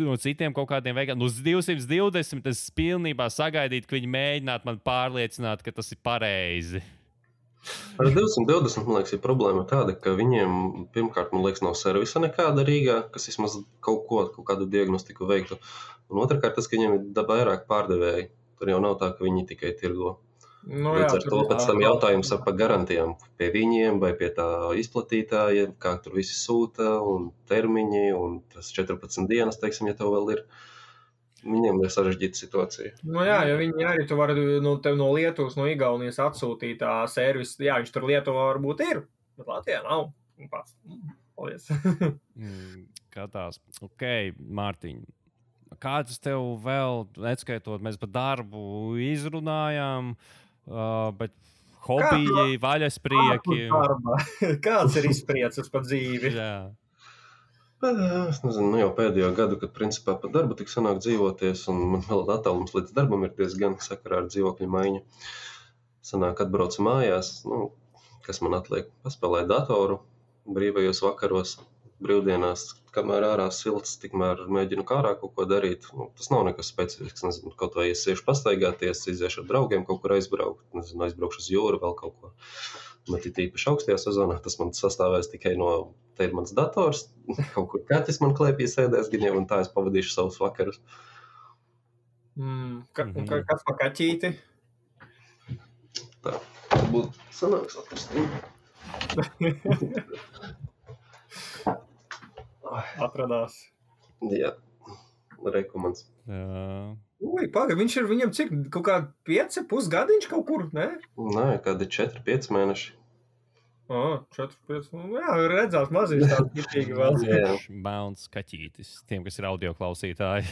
A: No citiem kaut kādiem veikaliem, uz 220 es pilnībā sagaidītu, ka viņi mēģinātu man pārliecināt, ka tas ir pareizi.
C: Ar 220, man liekas, ir problēma tāda, ka viņiem, pirmkārt, man liekas, nav servisa nekāda Rīgā, kas vismaz kaut kādu diagnostiku veiktu. Un otrkārt, tas, ka viņiem ir vairāk pārdevēji. Tur jau nav tā, ka viņi tikai tirgo. Līdz ar to pēc tam jautājums par garantijām pie viņiem vai pie tā izplatītāja, kā tur visi sūta un termiņi un tas 14 dienas, teiksim, ja tev vēl ir. Viņiem ir sarežģīta situācija.
B: Jā, jo viņi arī tu vari tev no Lietuvas, no Igaunijas atsūtīt tā servis. Jā, viņš tur Lietuvā varbūt ir, bet Latvijā nav. Pats. Paldies.
A: Katās. Ok, Mārtiņ. Kāds tev vēl, neskaitot, mēs par darbu izrunājām, bet hobiji, vaļasprieki.
B: Kāds ir izprieces par dzīvi?
A: Jā.
C: Es nezinu, jau pēdējo gadu, kad principā par darbu tik sanāk dzīvoties, un man vēl attālums līdz darbam ir diezgan sakarā ar dzīvokļu maiņu. Sanāk atbraucu mājās, kas man atliek, paspēlēt datoru brīvajos vakaros, brīvdienās, kamēr ārā silts, tikmēr mēģinu kārā kaut ko darīt. Tas nav nekas specifisks, nezinu, kaut vai es iešu pastaigāties, iziešu ar draugiem kaut kur aizbraukt, nezinu, aizbraukšu uz jūru vēl kaut ko. Bet ir īpaši augstajā sezonā, tas man sastāvēs tikai no, te ir mans dators, kaut kur kaķis man klēpī sēdēs gan jau, un tā es pavadīšu savus vakarus.
B: Kas pa kaķīti?
C: Tā, varbūt sanāks atrast.
B: Atradās.
C: Jā, rekomands.
B: Viņš ir viņam cik, kaut kā 5,5 gadiņš kaut kur, ne?
C: Nē, kādi 4-5 mēneši.
B: 4-5, jā, redzās maziņš tāds kitīgi vēl.
A: Melns kaķītis, tiem, kas ir audio klausītāji.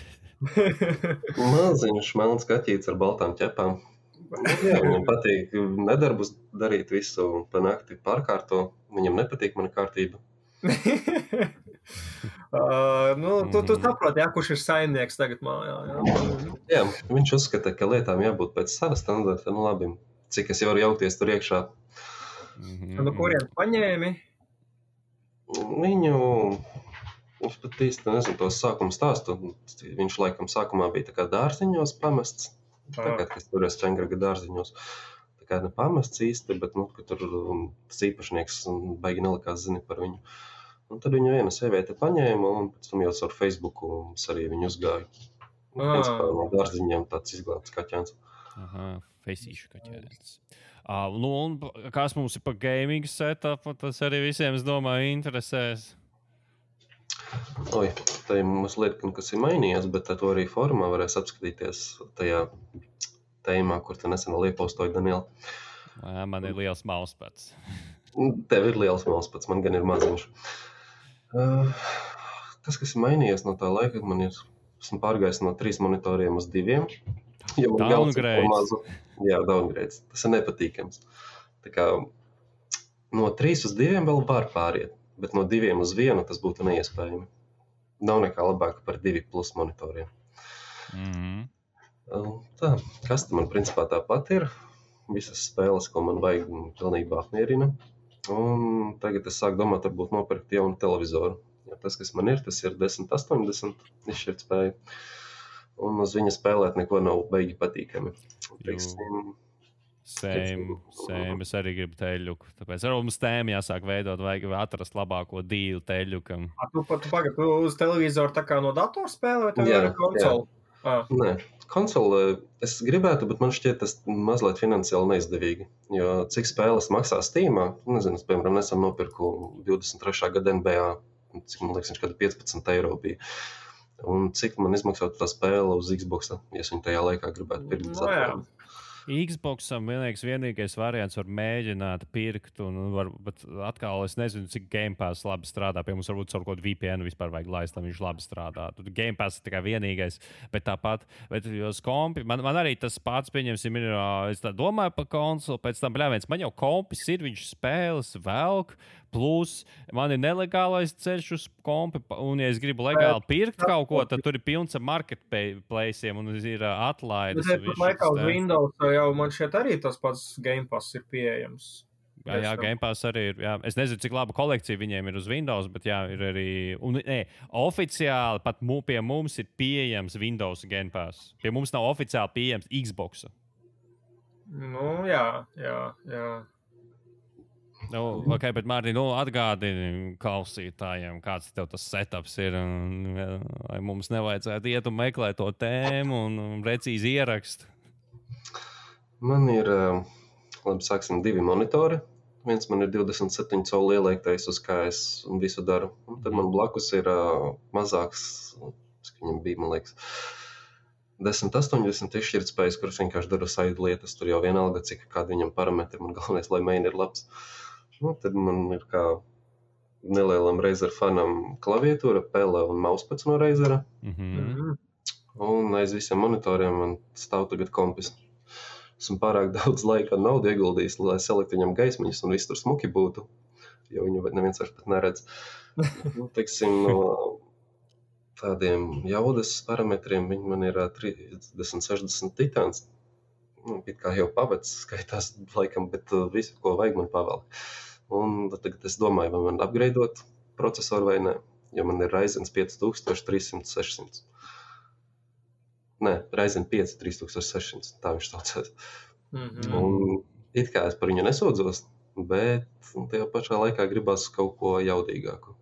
C: Maziņš, melns kaķītis ar baltām ķepām. Jā, viņam patīk nedarbus darīt visu pa nakti pārkārto. Viņam nepatīk mana kārtība.
B: Tu saproti, kurš ir saimnieks tagad mājā.
C: Jā, viņš uzskata, ka lietām jābūt pēc sava standarta. Labi, cik es jau varu jaukties tur iekšā.
B: No kuriem paņēmi?
C: Viņš pat īsti nezinu tos sākuma stāstu. Viņš laikam sākumā bija tā kā dārziņos pamests. Tagad, kas tur es Čengraga dārziņos. Tā kā ne pamests īsti, bet ka tur tas īpašnieks baigi nelikās zini par viņu. Un tad viņu viena sieviete paņēma, un pēc tam jau ar Facebooku arī viņu uzgāja. Principā no dārziņiem tāds izglābts kaķēns.
A: Aha, feisīšu kaķēns. Un kas mums ir pa gaming setup, tas arī visiem, es domāju, interesēs.
C: Oi, tā ir mazliet, kas ir mainījies, bet to arī formā varēs apskatīties tajā tēmā, kur tu nesen vēl iepostoji, Daniela.
A: Man ir liels mauspats.
C: Tev ir liels mauspats, man gan ir maziņš. Tas, kas ir mainījies no tā laika, esmu pārgājis no 3 monitoriem uz 2.
A: Downgrades.
C: Jā, downgrades. Tas ir nepatīkams. Tā kā no 3 uz 2 vēl var pāriet, bet no 2 uz 1 tas būtu neiespējami. Nav nekā labāka par 2 plus monitoriem. Tā, kas man principā tāpat ir. Visas spēles, ko man vajag, pilnībā apmierina. Un tagad es sāku domāt, varbūt nopirkt jaunu televizoru. Ja tas, kas man ir, tas ir 1080 izšķirtspēja. Un uz viņa spēlēt neko nav beigi patīkami.
A: Same. Es arī gribu teļuku. Tāpēc arī mums tēmu jāsāk veidot, vajag atrast labāko dīlu teļukam.
B: Tu uz televizoru tā kā no datora spēlē, vai tev ir konsoli?
C: Nē, konsoli es gribētu, bet man šķiet tas mazliet finansiāli neizdevīgi. Jo cik spēles maksā Steamā, nezinu, es, piemēram, nesen nopirku 23. gada NBA, cik man liekas, viņš kāda 15 eiro bija. Un cik man izmaksātu tā spēle uz Xboxa, ja es viņu tajā laikā gribētu pirkt.
A: Xboxam vienīgais variants var mēģināt pirkt, bet atkal es nezinu, cik Game Pass labi strādā. Pie mums varbūt caur kaut kādu VPN vispār vajag laist, lai viņš labi strādā. Game Pass ir tikai vienīgais, bet tāpat, uz kompi, man arī tas pats, pieņemsim, ir, es tā domāju par konsoli, pēc tam, man jau kompis ir, viņš spēles velk, plus man ir nelegālais ceļš uz kompi, un ja es gribu legāli pirkt kaut ko, tad tur ir pilns ar marketplace'iem un ir atlaides.
B: Bet laikā uz Windows jau man šeit arī tas pats Game Pass ir pieejams.
A: Jā, Game Pass arī ir. Jā. Es nezinu, cik laba kolekcija viņiem ir uz Windows, bet jā, ir arī. Oficiāli pat pie mums ir pieejams Windows Game Pass. Pie mums nav oficiāli pieejams Xbox.
B: Jā.
A: Okay, bet Mārtiņ, atgādini klausītājiem, kāds tev tas setups ir. Vai mums nevajadzētu iet un meklēt to tēmu un precīzi ierakst?
C: Man ir, sāksim, 2 monitori. Viens man ir 27 colu ieliektais, uz kā es visu daru. Un tad man blakus ir mazāks, viņam bija, man liekas, 1080 izšķirtspējas, kurš vienkārši dara saidu lietas. Tur jau vienalga, cik kādi viņam parametri. Man galvenais, lai main ir labs. Tad man ir kā nelielam Razer fanam klaviatūra, pele un mauspads no Razera. Un aiz visiem monitoriem man stāv tagad kompis. Esmu pārāk daudz laika un naudu ieguldījis, lai salikt viņam gaismiņas un viss tur smuki būtu, jo viņu neviens vairs pat neredz. Teiksim, no tādiem jaudas parametriem viņi man ir 3060 titāns. It kā jau pavecs skaitās laikam, bet visu, ko vajag, man pavēl. Un tagad es domāju, vai man upgradeot procesoru vai ne, jo man ir Ryzen 5300-600. Nē, Ryzen 5 3600, tā viņš saucās. Un it kā es par viņu nesūdzos, bet tajā pašā laikā gribas kaut ko jaudīgāku.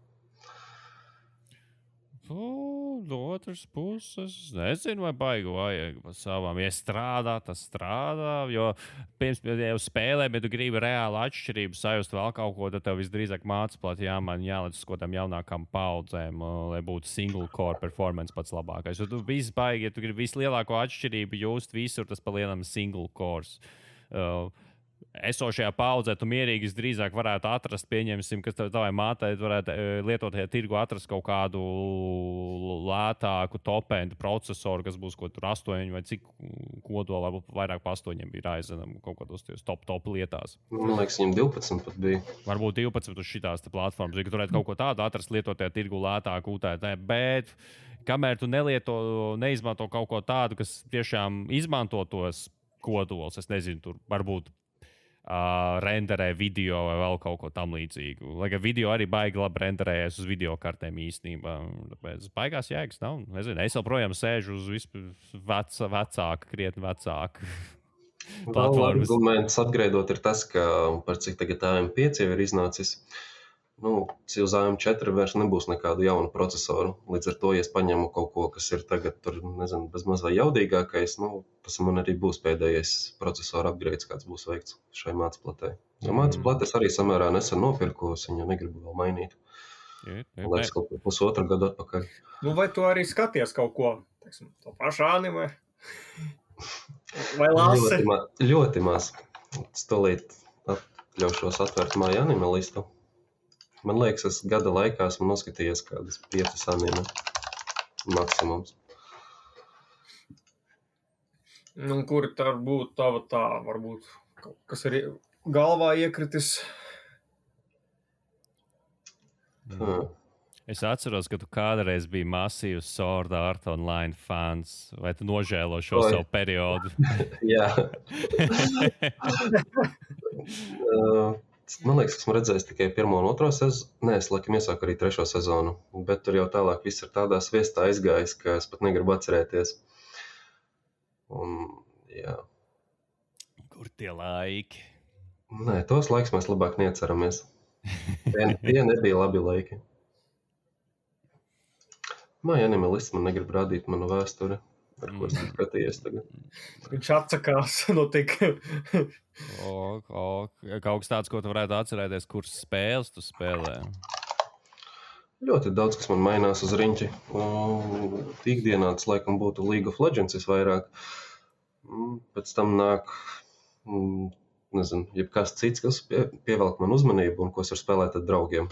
A: No otras puses, nezinu, vai baigi vajag pa savām. Ja strādā, tas strādā, jo pirms jau spēlē, bet tu gribi reāli atšķirību sajust vēl kaut ko, tad tev visdrīzāk mācīplāt jāliec uz kaut kādām jaunākām paudzēm, lai būtu single core performance pats labākais. Jo tu viss baigi, ja tu gribi vislielāko atšķirību just visur, tas pa lielam single cores. Esošajā paudzē tu mierīgi drīzāk varētu atrast, pieņemsim, ka tavai mātei varētu lietotajā tirgu atrast kaut kādu lētāku top-end procesoru, kas būs kaut kur 8 vai cik kodola, vairāk pa 8 bija Ryzenam kaut kādos top lietās.
C: Man liekas, viņam 12 pat bija.
A: Varbūt 12 uz šitās platformas, ja tu varētu kaut ko tādu atrast lietotajā tirgu lētāku UTT, bet kamēr tu neizmanto kaut ko tādu, kas tiešām izmanto tos kodolus, es nezinu, tur varbūt renderē video vai vēl kaut ko tam līdzīgu. Lai gan video arī baigi labi renderējas uz video kartēm īstenībā. Tāpēc baigās jēgas nav. Nezinu, es joprojām sēžu uz vecāku, krietni vecāku platformas.
C: Arguments upgradeot ir tas, ka par cik tagad AM5 jau ir iznācis, uz AM4 vairs nebūs nekādu jaunu procesoru. Līdz ar to, ja es paņemu kaut ko, kas ir tagad tur, nezinu, bezmaz vai jaudīgākais, tas man arī būs pēdējais procesora upgrades, kāds būs veikts šai mācplatē. Jo mācplates arī samērā nesen nopirku, es viņu negribu vēl mainīt. Liekas, kaut ko pusotru gadu atpakaļ.
B: Vai tu arī skaties kaut ko, teiksim, to pašu anime? Vai lasi?
C: Ļoti maz. Stolīt atļaušos atvērt māju anime listu. Man liekas, es gada laikā esmu noskatījies kādas 5 anime maksimums.
B: Kuri tā būtu tava varbūt, kas ir galvā iekritis?
A: Es atceros, ka tu kādreiz biji masīvs Sword Art Online fans. Vai tu nožēlo šo savu periodu?
C: Jā. Man liekas, esmu redzējis tikai 1. un 2. sezonu. Nē, es laikam iesāku arī 3. sezonu. Bet tur jau tālāk viss ir tādā sviestā aizgājis, ka es pat negribu atcerēties. Jā.
A: Kur tie laiki?
C: Nē, tos laiks mēs labāk neatceramies. Tie nebija labi laiki. Māja anime lists man negrib rādīt manu vēsturi, ar ko es skatījies tagad.
B: Viņš atsakās no tik.
A: Kaut kas tāds, ko tu varētu atcerēties, kuras spēles tu spēlē?
C: Ļoti daudz, kas man mainās uz riņķi. Ikdienā tas laikam būtu League of Legends visvairāk. Pēc tam nāk, nezinu, jebkas cits, kas pievelk man uzmanību un ko es varu spēlēt ar draugiem.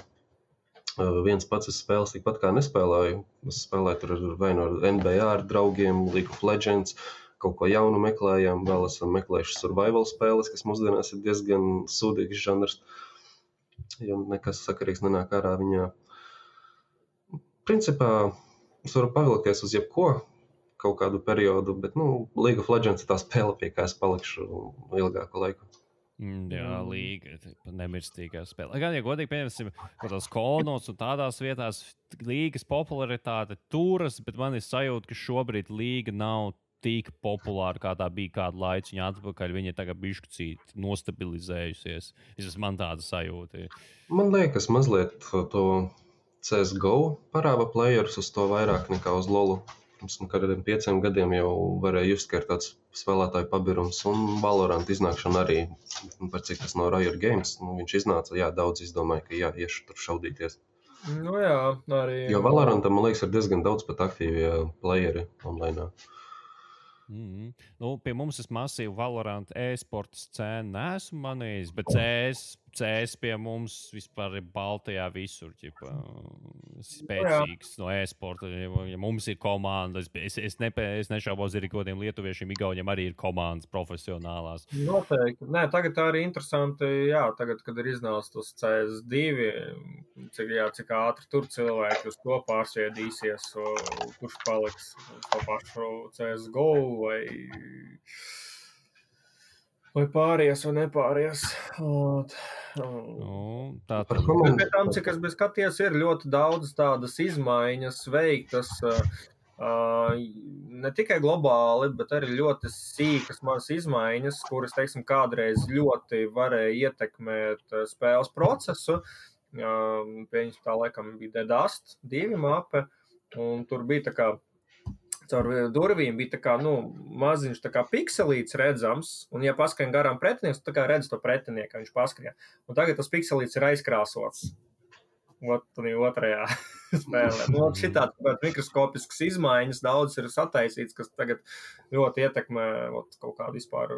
C: Viens pats es spēles tikpat kā nespēlēju. Es spēlēju tur vai no NBA ar draugiem, League of Legends, kaut ko jaunu meklējām. Vēl esam meklējuši survival spēles, kas mūsdienās ir diezgan sūdīgs žanrs, jo nekas sakarīgs nenāk ārā viņā. Principā es varu pavilkties uz jebko kaut kādu periodu, bet League of Legends ir tā spēle, pie kā es palikšu ilgāku laiku.
A: Jā, līga, nemirstīgā spēle. Gan, ja godīgi pieņemsim, kaut tās kolnos un tādās vietās līgas popularitāte turas, bet man ir sajūta, ka šobrīd līga nav tik populāra, kā tā bija kādu laiciņu atpakaļ. Viņa tagad bišķicīt nostabilizējusies. Tas man tāda sajūta.
C: Man liekas, mazliet to CSGO parāda playerus uz to vairāk nekā uz LoLu. Pirms kādiem 5 gadiem jau varēja just, ka ir tāds spēlētāju pabirums, un Valorant iznākšana arī, par cik tas no Riot Games, viņš iznāca, daudz izdomāja, ka iešu tur šaudīties.
B: Jā, arī.
C: Jo Valorantam, man liekas, ir diezgan daudz pat aktīvi playeri online.
A: Pie mums es masīvu Valorant e-sporta scēnu neesmu manījis, bet CS pie mums vispār ir Baltijā visur, spēcīgs no e-sporta. Ja mums ir komanda, es nešaubos, ir kodiem lietuviešiem, igauņiem arī ir komandas profesionālās.
B: Noteikti. Nē, tagad tā arī interesanti, tagad, kad ir iznācis tas CS2, cik ātri tur cilvēki uz to pārsviedīsies, kurš paliks to pašu CSGO vai pāries vai nepāries. Bet pie tam, cik es biju skaties, ir ļoti daudz tādas izmaiņas veiktas, ne tikai globāli, bet arī ļoti sīkas mazas izmaiņas, kuras, teiksim, kādreiz ļoti varēja ietekmēt spēles procesu. Pieņems tā laikam bija The Dust 2 mape, un tur bija tā kā caur durvīm bija tā kā, maziņš tā kā pikselīts redzams, un ja paskrien garām pretinieks, tā kā redz to pretinieku, viņš paskrien. Un tagad tas pikselīts ir aizkrāsots. Otrajā spēlē. Šitāds mikroskopisks izmaiņas daudz ir sataisīts, kas tagad ļoti ietekmē kaut kādu vispār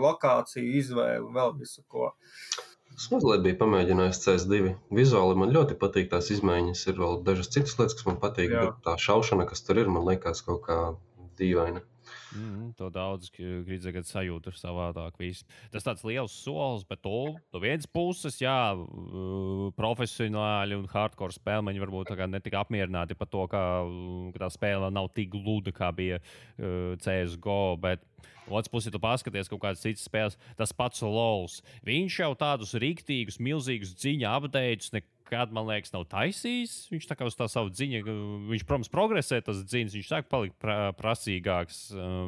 B: lokāciju, izvēli, vēl visu ko.
C: Es mazliet biju pamēģinājis CS2. Vizuāli man ļoti patīk tās izmaiņas. Ir vēl dažas citas lietas, kas man patīk, bet tā šaušana, kas tur ir, man liekas kaut kā dīvaina.
A: To daudz gribētu sajūt ir savādāk. Tas tāds liels solis, bet no vienas puses, profesionāļi un hardcore spēlmeņi varbūt netika apmierināti par to, ka tā spēle nav tik gluda, kā bija CSGO, bet otrs puses, ja tu paskaties kaut kādas citas spēles, tas pats LoLs. Viņš jau tādus riktīgus, milzīgus dziņu updates nekad, man liekas, nav taisījis. Viņš tā kā uz tā savu dziņu, viņš, protams, progresē tas dziņas, viņš sāk palikt prasīgāks,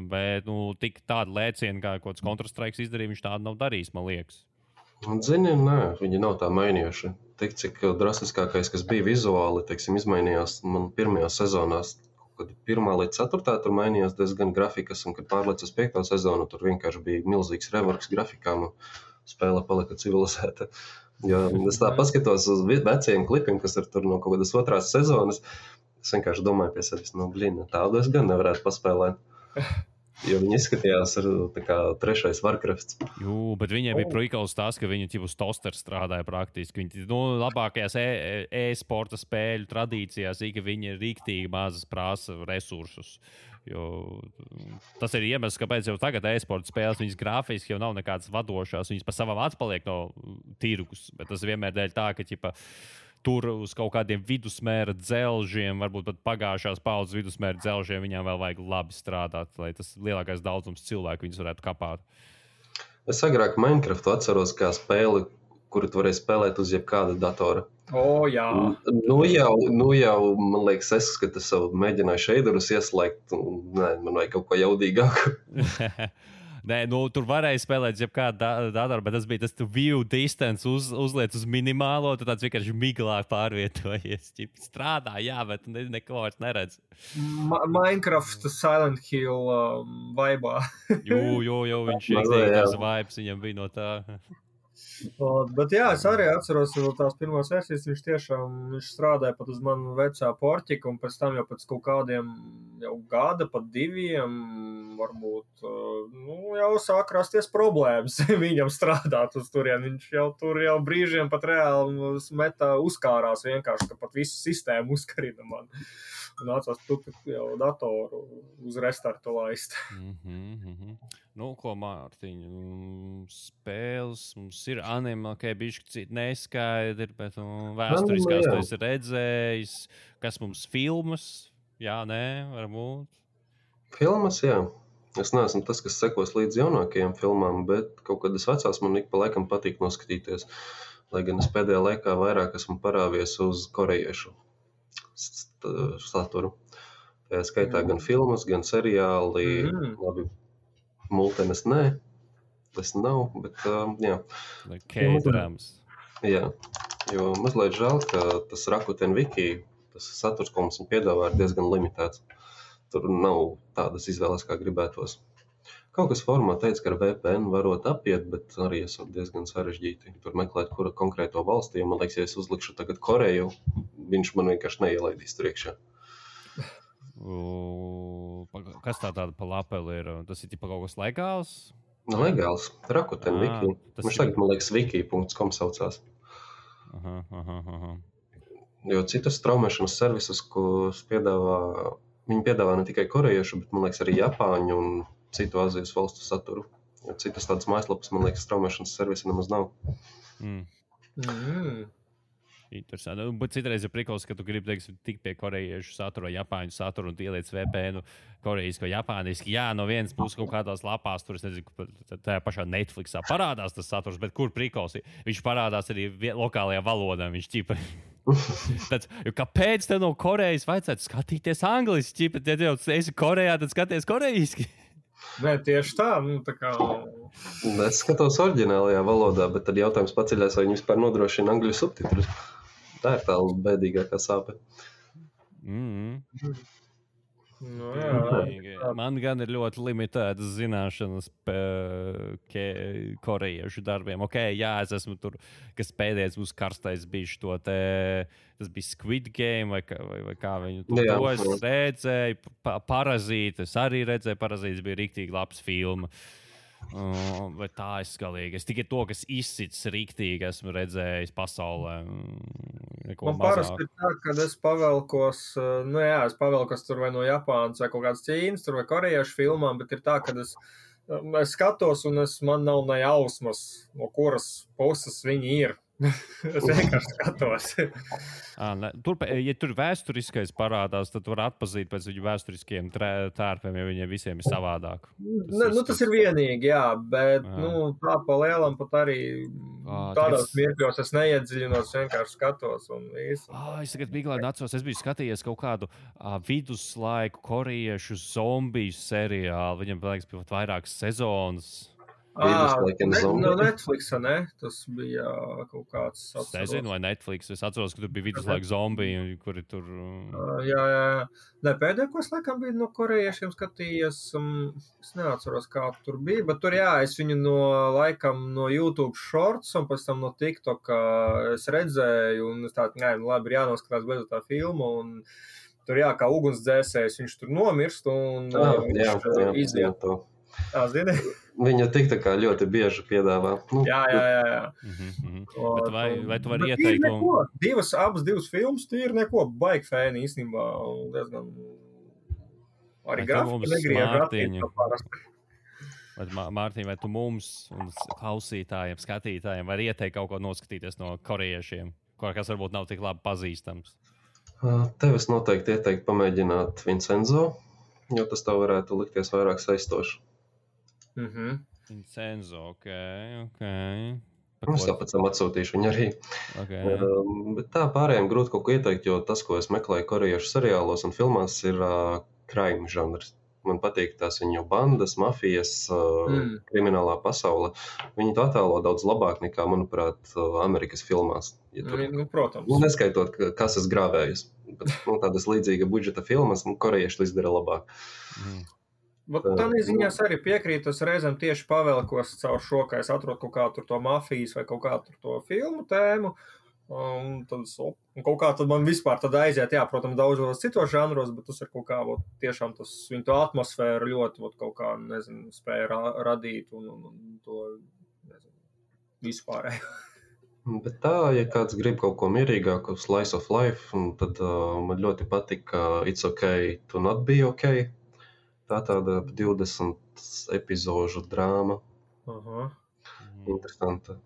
A: bet tik tādu lēcienu, kā kaut kāds Counter-Strike izdarīja, viņš tādu nav darījis, man liekas.
C: Un, zini, nē, viņi nav tā mainījuši. Tik cik drastiskākais, kas bija vizuāli, teiksim, izmainījās man pirmajās sezonās. Kad 1. līdz 4. tur mainījās diezgan grafikas, un kad pārlec uz 5. sezonu, tur vienkārši bija milzīgs reworks grafikām, un spēle palika civilizēta. Jo es tā paskatos uz vecajiem klipiem, kas ir tur no kaut kādas 2. sezonas, es vienkārši domāju pie sevis, tādu es gan nevarētu paspēlēt. Jo viņi izskatījās tā kā 3. Warcrafts.
A: Jū, bet viņiem bija prikals tas, ka viņi uz tosteru strādāja praktiski. Viņi labākajās e-sporta spēļu tradīcijās, ka viņi ir rīktīgi mazas prasa resursus. Jo tas ir iemesls, kāpēc jau tagad e-sporta spēles viņas grafiski jau nav nekādas vadošās. Viņas pa savam atpaliek no tirgus, bet tas vienmēr dēļ tā, ka tur uz kaut kādiem vidusmēra dzelžiem, varbūt pat pagājušās paudzes vidusmēra dzelžiem, viņām vēl vajag labi strādāt, lai tas lielākais daudzums cilvēku viņus varētu kapāt.
C: Es agrāk Minecraftu atceros kā spēli, kuru tu varēji spēlēt uz jebkāda datora.
B: Jā.
C: Nu jau, man liekas, es, ka tas savu mēģināju šeiderus ieslēgt, man vajag kaut ko jaudīgāku.
A: Nē, tur varēja spēlēt jebkādu datoru, bet tas bija tas view distance uzliec uz minimālo, tu tāds vienkārši miglāk pārvietojies. Strādā, jā, bet neko vairs neredz.
B: Minecraft Silent Hill vaibā.
A: Jo, viņš tās vibes viņam bija no tā.
B: Bet jā, es arī atceros tās pirmās versijas, viņš tiešām strādāja pat uz manu vecā porķiku, un pēc tam jau pēc kaut kādiem gada, pat 2, varbūt, jau sāk rasties problēmas viņam strādāt uz turien. Viņš jau tur brīžiem pat reāli uzkārās vienkārši, ka pat visu sistēmu uzkarina man. Un nācās jau datoru uz restartu laist.
A: Nu, ko, Mārtiņ, spēles mums ir anime, bišķi citi neskaidri, bet vēsturiskās tu esi redzējis. Kas mums filmas? Jā, nē, varbūt.
C: Filmas, jā. Es neesmu tas, kas sekos līdz jaunākajām filmām, bet kaut kādas vecās man ik pa laikam patīk noskatīties. Lai gan es pēdējā laikā vairāk esmu parāvies uz korejiešu saturu. Tā skaitā gan filmas, gan seriāli, labi, multenes nē, tas nav, bet jā.
A: K-drāmas.
C: Jā, jo mazliet žēl, ka tas Rakuten Wiki, tas saturs, ko mums piedāvā, ir diezgan limitēts. Tur nav tādas izvēles, kā gribētos. Kaut kas formā teica, ka ar VPN varot apiet, bet arī esot diezgan sarežģīti. Tur meklēt, kura konkrēto valstī, man liekas, ja es uzlikšu tagad Koreju, viņš man vienkārši neielaidīs tur iekšā.
A: Kas tāda pa lapeli ir? Tas ir kaut kas legāls?
C: Legāls. Rakuten Wiki. Viņš tagad, man liekas, wiki.com saucās. Jo citas straumēšanas servisus, ko viņi piedāvā ne tikai korejiešu, bet, man liekas, arī Japāņu un citu Āzijas valstu saturu. Jo citas tādas mājaslapas, man liekas, straumēšanas servisi nemaz nav.
A: Interesanti. Bet citreiz ir prikals, ka tu gribi, teiksim, tik pie korejiešu satura, Japāņu satura un ieliec VPN korejiski vai japāniski. Jā, no vienas puses kaut kādās lapās, tur es nezinu, tajā pašā Netflixā parādās tas saturs, bet kur prikals? Viņš parādās arī lokālajā valodā. Viņš ķipa. Kāpēc tev no Korejas vajadzētu skatīties angliski? Ja jau esi Korejā, tad skaties korejiski.
B: Nē, tieši tā. Tā kā...
C: Es skatos oriģinālajā valodā, bet tad jautājums paceļās, vai viņi vispār nodrošina angļu subtitrus. Tā ir tā bēdīgākā sāpe.
B: Nu, jā.
A: Man gan ir ļoti limitētas zināšanas korejiešu darbiem. Jā, es esmu tur, kas pēdējais būs karstais bijis to te, tas bija Squid Game vai kā viņu to es redzēju. Parazīti, es arī redzēju, Parazītis bija riktīgi labs filma. Bet tā ir skalīgi. Es tikai to, kas izsits riktīgi, esmu redzējis pasaulē.
B: Man parasti ir tā, kad es pavelkos, es pavelkos tur vai no Japānas vai kaut kādas Ķīnas, tur vai korejiešu filmām, bet ir tā, kad es skatos un man nav ne jausmas, no kuras puses viņi ir. Es vienkārši skatos.
A: Ja tur vēsturiskais parādās, tad var atpazīt pēc viņu vēsturiskiem tērpiem, ja viņiem visiem ir savādāk.
B: Tas ir vienīgi, jā, bet tā pa lielam pat arī tādās mirkļos es neiedziļinos, vienkārši skatos un visu.
A: Es tagad miglēni atceros, es biju skatījies kaut kādu viduslaiku korejiešu zombiju seriālu, viņam liekas pat vairākas sezonas.
B: No Netflixa, ne? Tas bija kaut kāds.
A: Es nezinu, vai Netflix. Es atceros, ka tur bija viduslaiku zombiji, kuri tur.
B: Jā. Ne, pēdējo, ko es laikam biju no korejiešiem skatījies, es neatceros, kā tur bija, bet tur es viņu no YouTube shorts un pēc tam no TikTok es redzēju, un es tādu, labi, ir jānoskatās beidzot tā filmu, un tur kā ugunsdzēsējs, viņš tur nomirst, un viņš iziet to. Zini?
C: Viņa tik tā kā ļoti bieži piedāvā.
B: Jā.
A: Bet vai tu vari ieteikt?
B: Abas divas filmas, tie ir neko baigi fēni īstenībā. Diezgan arī grafika negriež.
A: Mārtiņ, vai tu mums un klausītājiem, skatītājiem var ieteikt kaut ko noskatīties no korejiešiem, kas varbūt nav tik labi pazīstams?
C: Tev es noteikti ieteiktu pamēģināt Vincenzo, jo tas tev varētu likties vairāk saistoši.
A: Vincenzo, ok.
C: Es tāpēc atsūtīšu viņu arī. Bet tā pārējiem grūti kaut ko ieteikt, jo tas, ko es meklēju korejiešu seriālos un filmās, ir crime žanrs. Man patīk tās viņu bandas, mafijas, kriminālā pasaule. Viņi to attēlo daudz labāk nekā, manuprāt, Amerikas filmās. Ja tur,
B: protams.
C: Neskaitot, kas es grāvējus. Bet tādas līdzīga budžeta filmas, korejieši to izdara labāk.
B: Bet tādā ziņā arī piekrītu, es reizēm tieši pavelkos caur šo, ka es atrodu kaut kādu to mafijas vai kaut kādu to filmu tēmu, un kaut kā tad man vispār tad aiziet, protams, daudzos citos žanros, bet tas ir kaut kā, tiešām tas viņu to atmosfēru ļoti, kaut kā, nezinu, spēja radīt un to, nezinu, vispārēju.
C: Bet tā, ja kāds grib kaut ko mierīgāku, slice of life, tad man ļoti patika It's okay to not be okay. Tā tāda 20 epizožu drāma. Interesanta.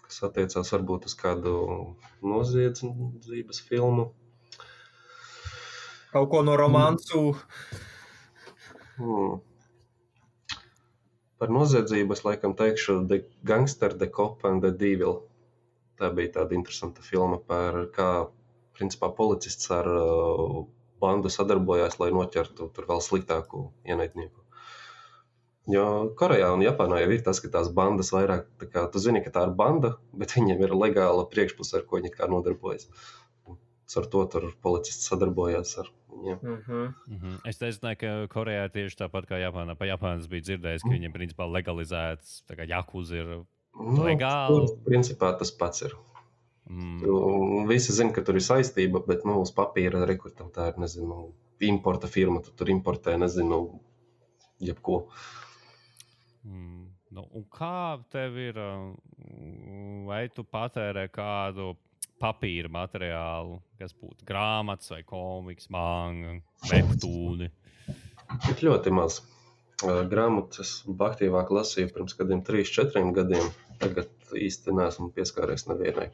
C: Kas attiecās varbūt uz kādu noziedzības filmu.
B: Kaut ko no romansu.
C: Par noziedzību es laikam teikšu The Gangster, The Cop and The Devil. Tā bija tāda interesanta filma par kā, principā, policists ar bandu sadarbojās, lai noķertu tur vēl sliktāku ienaidnieku. Jo Korejā un Japānā jau ir tas, ka tās bandas vairāk, tā kā tu zini, ka tā ir banda, bet viņiem ir legāla priekšpuse, ar ko viņi kā nodarbojas. Ar to tur policists sadarbojās ar viņiem.
A: Es nezināju, ka Korejā ir tieši tāpat kā Japānā. Pa Japānas bija dzirdējis, ka viņiem principā legalizēts, tā kā Yakuza ir legāli.
C: Principā tas pats ir. Visi zina, ka tur ir saistība, bet uz papīra rekurtam tā ir, nezinu, importa firma, tu tur importē, nezinu, jebko.
A: Un kā tev ir, vai tu patērē kādu papīra materiālu, kas būtu grāmatas vai komiks, manga, webtūni?
C: Bet ļoti maz. Grāmatas aktīvāk lasīju pirms kādiem 3-4 gadiem. Tagad īsti neesmu pieskāries nevienai.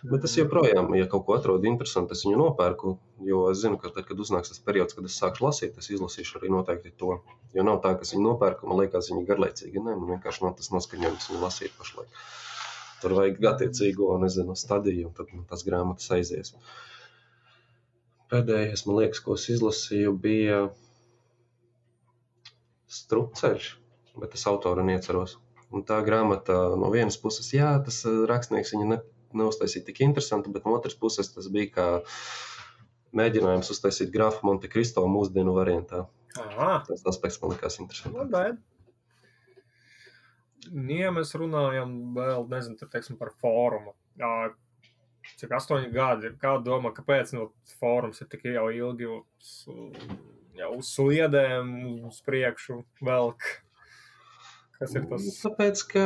C: Bet es joprojām, ja kaut ko atrodu interesantu, es viņu nopērku, jo es zinu, ka tad, kad uznāks tas periods, kad es sākšu lasīt, es izlasīšu arī noteikti to. Jo nav tā, ka es viņu nopērku, man liekas viņi garlaicīgi. Nē, man vienkārši nav tas noskaņojums viņu lasīt pašlaik. Tur vajag attiecīgo, nezinu, stadiju, un tad tas grāmatas aizies. Pēdējais, man liekas, ko es izlasīju, bija Strupceļš, bet es autoru neatceros. Un tā grāmata no vienas puses, tas rakstnieks viņa neuztaisīja tik interesantu, bet no otras puses tas bija kā mēģinājums uztaisīt grāfu Monte Cristo mūsdienu variantā. Tas aspekts man likās interesants.
B: Ja mēs runājam vēl, nezinu, teiksim par fórumu. Cik 8 gadi ir, kā domā, kāpēc fórums ir tik jau ilgi uz sliedēm, uz priekšu velk? Kas ir tas?
C: Tāpēc, ka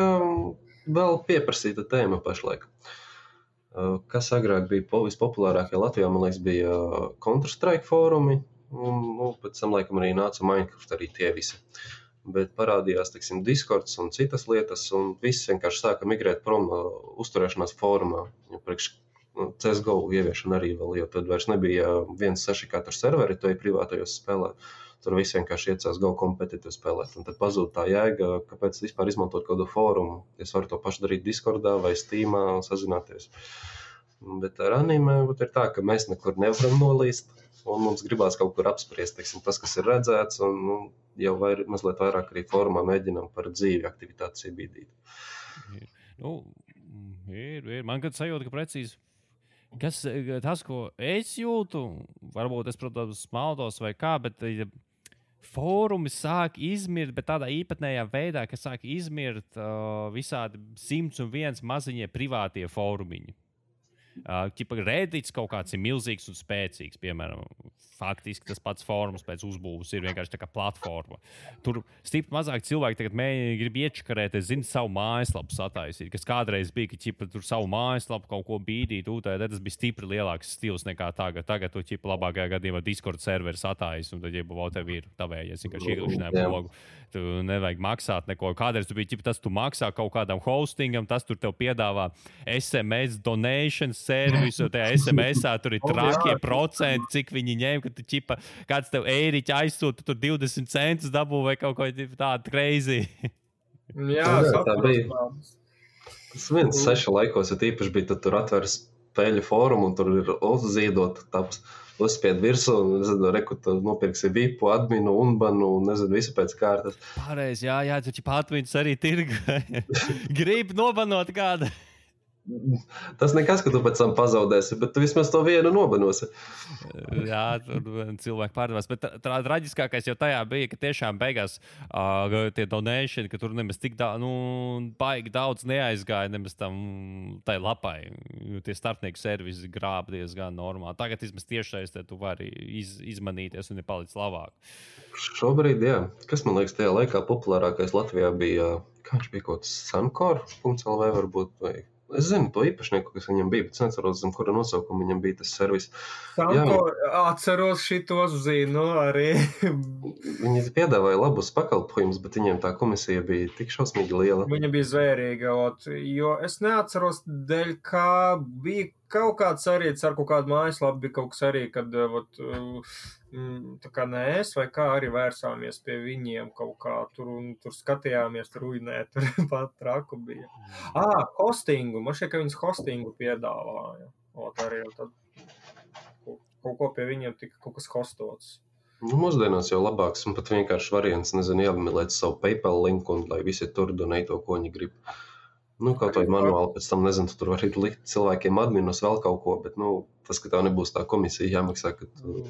C: vēl pieprasīta tēma pašlaik. Kas agrāk bija vispopulārākie Latvijā, man liekas, bija Counter-Strike fórumi, un pēc tam laikam arī nāca Minecraft, arī tie visi. Bet parādījās, teiksim, Discords un citas lietas, un viss vienkārši sāka migrēt prom uzturēšanās fórumā. Priekš CSGO ieviešana arī vēl, jo tad vairs nebija 1.6 katru serveri, to ir privātajos spēlēt. Tur viss vienkārši iecās Go kompetitīvi spēlēt. Un tad pazūd tā jēga, kāpēc vispār izmantot kādu fórumu. Es varu to pašu darīt Discordā vai Steamā un sazināties. Bet ar anime ir tā, ka mēs nekur nevaram nolīst, un mums gribās kaut kur apspriest, teiksim, tas, kas ir redzēts, un jau mazliet vairāk arī formā mēģinām par dzīvi aktivitātes iebīdīt.
A: Ir. Man kad sajūta, ka precīzi tas, ko es jūtu, varbūt es, protams, maldos vai kā, bet fórumi sāk izmirt, bet tādā īpatnējā veidā, ka sāk izmirt visādi 101 maziņie privātie fórumiņi. Reddits kaut kāds ir milzīgs un spēcīgs, piemēram, faktiski tas pats fórums pēc uzbūves ir vienkārši tā kā platforma. Tur stipri mazāk cilvēki tagad grib iečakarēt, es zinu, savu mājaslapu sataisīt, kas kādreiz bija, ka tur savu mājaslapu kaut ko bīdīt, tas bija stipri lielāks stils nekā tagad. Tagad tu labākajā gadījumā Discord serveri satais, un tad, ja tev ir tavējies, vienkārši iekļūšanai blogu, tu nevajag maksāt neko. Kādreiz tu biji, tas tu maksā kaut kādam hostingam, tas tur tev piedāvā SMS donation servisu, tajā SMS-ā tur ir trakie procenti, cik viņi ņem, ka tu kāds tev eiriķi aizsūta, tur 20 centus dabū vai kaut ko tādu crazy.
B: Jā,
C: tā bija. Tas 1.6 laikos, ja tīpaši bija, tad tur atver spēļu fórumu un tur ir uzziedot tāpēc uzspied virsū, nezinu, reku, tu nopirksi vipu, adminu, unbanu, nezinu, visu pēc kārtas.
A: Pareiz, jā, tu adminus arī tirga. Grib nobanot kādu.
C: Tas nekas, ka tu pēc tam pazaudēsi, bet tu vismaz to vienu nobanosi.
A: Jā, tur cilvēki pārdevās. Bet traģiskākais jau tajā bija, ka tiešām beigās tie donēšani, ka tur nemaz tik baigi daudz neaizgāja nemaz tam tai lapai. Tie starpnieku servisi grāb diezgan normāli. Tagad vismaz tiešais te tu vari izmanīties un ir palicis labāk.
C: Šobrīd, jā. Kas man liekas tajā laikā populārākais Latvijā bija, kā viņš bija kaut kas Sankor.lv varbūt vai... Es zinu to īpašnieku, kas viņam bija, bet es neatceros, kura nosaukuma viņam bija tas servis.
B: Sanko, atceros šitos zinu arī.
C: Viņi piedāvāja labus pakalpojumus, bet viņiem tā komisija bija tik šausmīgi liela.
B: Viņa bija zvērīga, jo es neatceros dēļ, kā bija kaut kāds arī, ar kaut kādu mājaslapu bija kaut kas arī, kad tā kā nēs vai kā arī vērsāmies pie viņiem kaut kā tur un tur skatījāmies, tur uinē, tur pat traku bija. Hostingu, man šķiet, ka viņas hostingu piedāvāja. Arī tad kaut ko pie viņiem tika kaut kas hostots.
C: Mūsdienās jau labāks un pat vienkārši variants, nezinu, jāapmilēt savu PayPal linku un lai visi tur donē to, ko viņi grib. Kaut vai manuāli pēc tam, nezinu, tur var likt cilvēkiem adminus vēl kaut ko, bet, tas, ka tev nebūs tā komisija jāmaksā, ka tu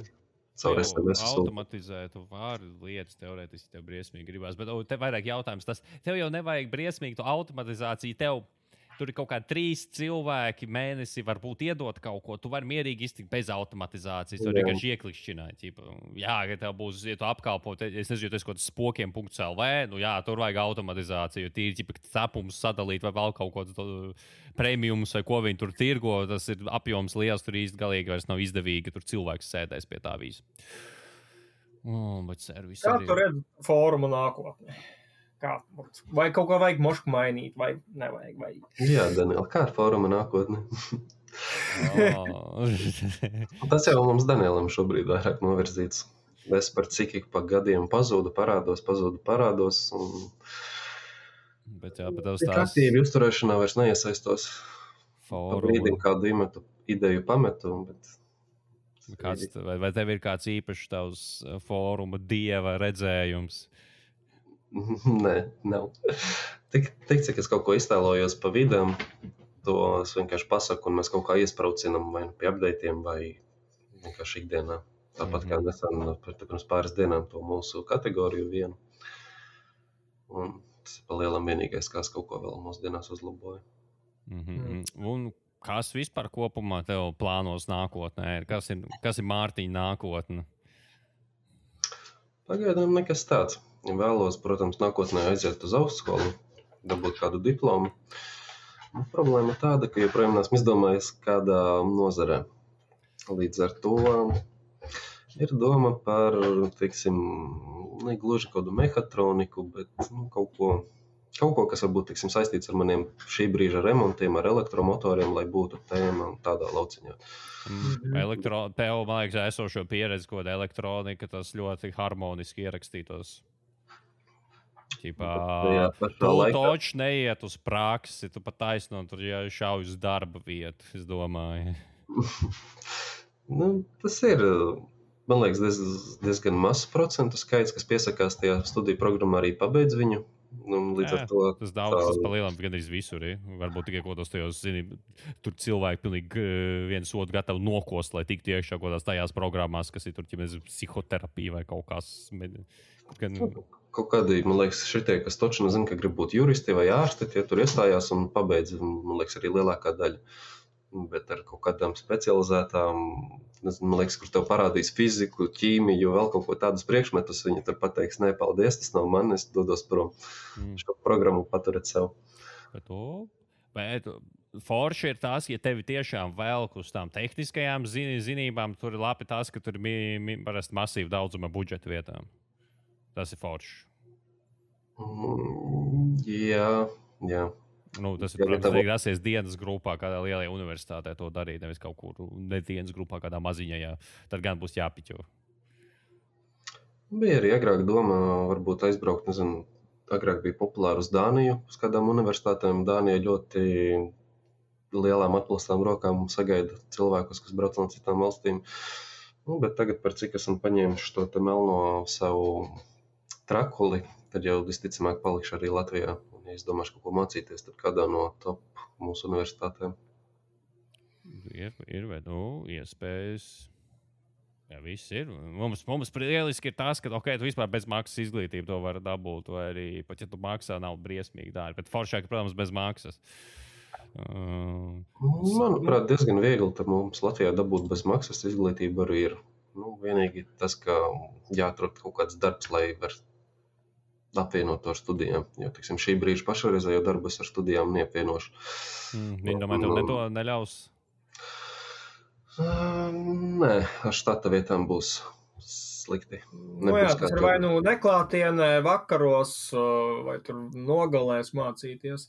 C: caur SMS
A: automatizētu vārdu lietas teorētiski tev briesmīgi gribās, bet tev vairāk jautājums tas, tev jau nevajag briesmīgi to automatizāciju, tev tur ir kaut kā 3 cilvēki mēnesi varbūt iedot kaut ko, tu vari mierīgi iztikt bez automatizācijas, tu vienkārši ieklikšķināt. Jā, ka tev būs, ja tu apkalpot, es nezinu, tas kaut kāds spokiem.lv, tur vajag automatizāciju, tīri cepumus sadalīt vai vēl kaut ko premiumus vai ko viņi tur tirgo, tas ir apjoms liels, tur īsti galīgi vairs nav izdevīgi, tur cilvēks sēdēs pie tā visu. Bet servis
B: kā
A: arī...
B: tu redz fóruma nākotnē? Vai kaut ko vajag mošku mainīt, vai nevajag?
C: Jā, Daniel, kā ar fóruma nākotni? Tas jau mums Danielam šobrīd vairāk novirzīts. Es par cikiku pa gadiem pazudu, parādos. Un...
A: Bet tavs tās...
C: Aktīvi uzturēšanā vairs neiesaistos.
A: Fóruma.
C: Pa brīdim kādu ideju pametu, bet...
A: Vai tev ir kāds īpašs tavs fóruma dieva redzējums?
C: Nē, nav. Tik, cik es kaut ko iztēlojos pa vidam, to es vienkārši pasaku, un mēs kaut kā iespraucinam vai pie updateiem, vai vienkārši ikdienā. Tāpat kā nesen pirms pāris dienām to mūsu kategoriju vienu. Un tas ir pa lielam vienīgais, kas kaut ko vēl mūsdienās uzlaboja.
A: Un kas vispār kopumā tev plānos nākotnē? Kas ir Mārtiņa nākotne?
C: Pagaidām nekas tāds. Vēlos, protams, nākotnē aiziet uz augstskolu, dabūt kādu diplomu. Problēma ir tāda, ka joprojām neesmu izdomājis kādā nozarē. Līdz ar to ir doma par, teiksim, ne gluži kādu mehatroniku, bet kaut ko, kas varbūt, teiksim, saistīts ar maniem šī brīža remontiem, ar elektromotoriem, lai būtu tēma tādā lauciņā.
A: Tev, man liekas, esošo pieredzi, ko elektronika, tas ļoti harmoniski ierakstītos. Tu taču neiet uz praksi, tu pat taisno tur šauj uz darba vietu, es domāju.
C: Tas ir, man liekas, diezgan mazs procentu skaits, kas piesakās tajā studiju programmā arī pabeidz viņu. Līdz ar to
A: tas daudz, tas pa lielam gandrīz visur ir. Varbūt tikai kaut kādos tajos, tur cilvēki pilnīgi viens otru gatavi nokost, lai tiktu iekšā kaut kādās tajās programmās, kas ir tur, psihoterapija vai kaut kas.
C: Kaut kādi, man liekas, šitie, kas točni zina, ka grib būt juristi vai ārsti, tie tur iestājās un pabeidz, man liekas, arī lielākā daļa. Bet ar kaut kādām specializētām, man liekas, kur tev parādīs fiziku, ķīmiju, vēl kaut ko tādus priekšmetus, viņi tur pateiks, nē, paldies, tas nav man, es dodos prom. Šo programmu paturēt sev.
A: Bet forši ir tas, ja tevi tiešām velk uz tām tehniskajām zinībām, tur ir labi tas, ka tur ir parasti masīvi daudzuma budžeta vietām. Tas ir forši.
C: Jā.
A: Tas ir, protams, grasies dienas grupā, kādā lielajā universitātē to darīt, nevis kaut kur ne dienas grupā, kādā maziņajā. Tad gan būs jāpiķo.
C: Bija arī agrāk doma, varbūt aizbraukt, nezinu, agrāk bija populāri uz Dāniju, uz kādām universitātēm. Dānija ļoti lielām atplastām rokām sagaida cilvēkus, kas brauc no citām valstīm. Bet tagad, par cik esam paņēmuši to te melno savu trakuli, tad jau visticamāk palikšu arī Latvijā. Ja es domāšu kaut ko mācīties, tad kādā no top mūsu universitātēm.
A: Ir vai iespējas. Jā, viss ir. Mums lieliski ir tas, ka, tu vispār bez maksas izglītību to var dabūt, vai arī, pat ja tu maksā, nav briesmīgi dārgi. Bet foršāk, protams, bez maksas.
C: Manuprāt, diezgan viegli tad mums Latvijā dabūt bez maksas izglītību arī ir. Vienīgi tas, ka jāatrod kaut kāds darbs, lai var apvienot to ar studijām. Jo, teiksim, šī brīža pašreizējo darbu es ar studijām neapvienošu.
A: Viņi domāju, tev to neļaus?
C: Nē, ar štata vietām būs slikti.
B: Tas ir vai neklātienē, vakaros, vai tur nogalēs mācīties.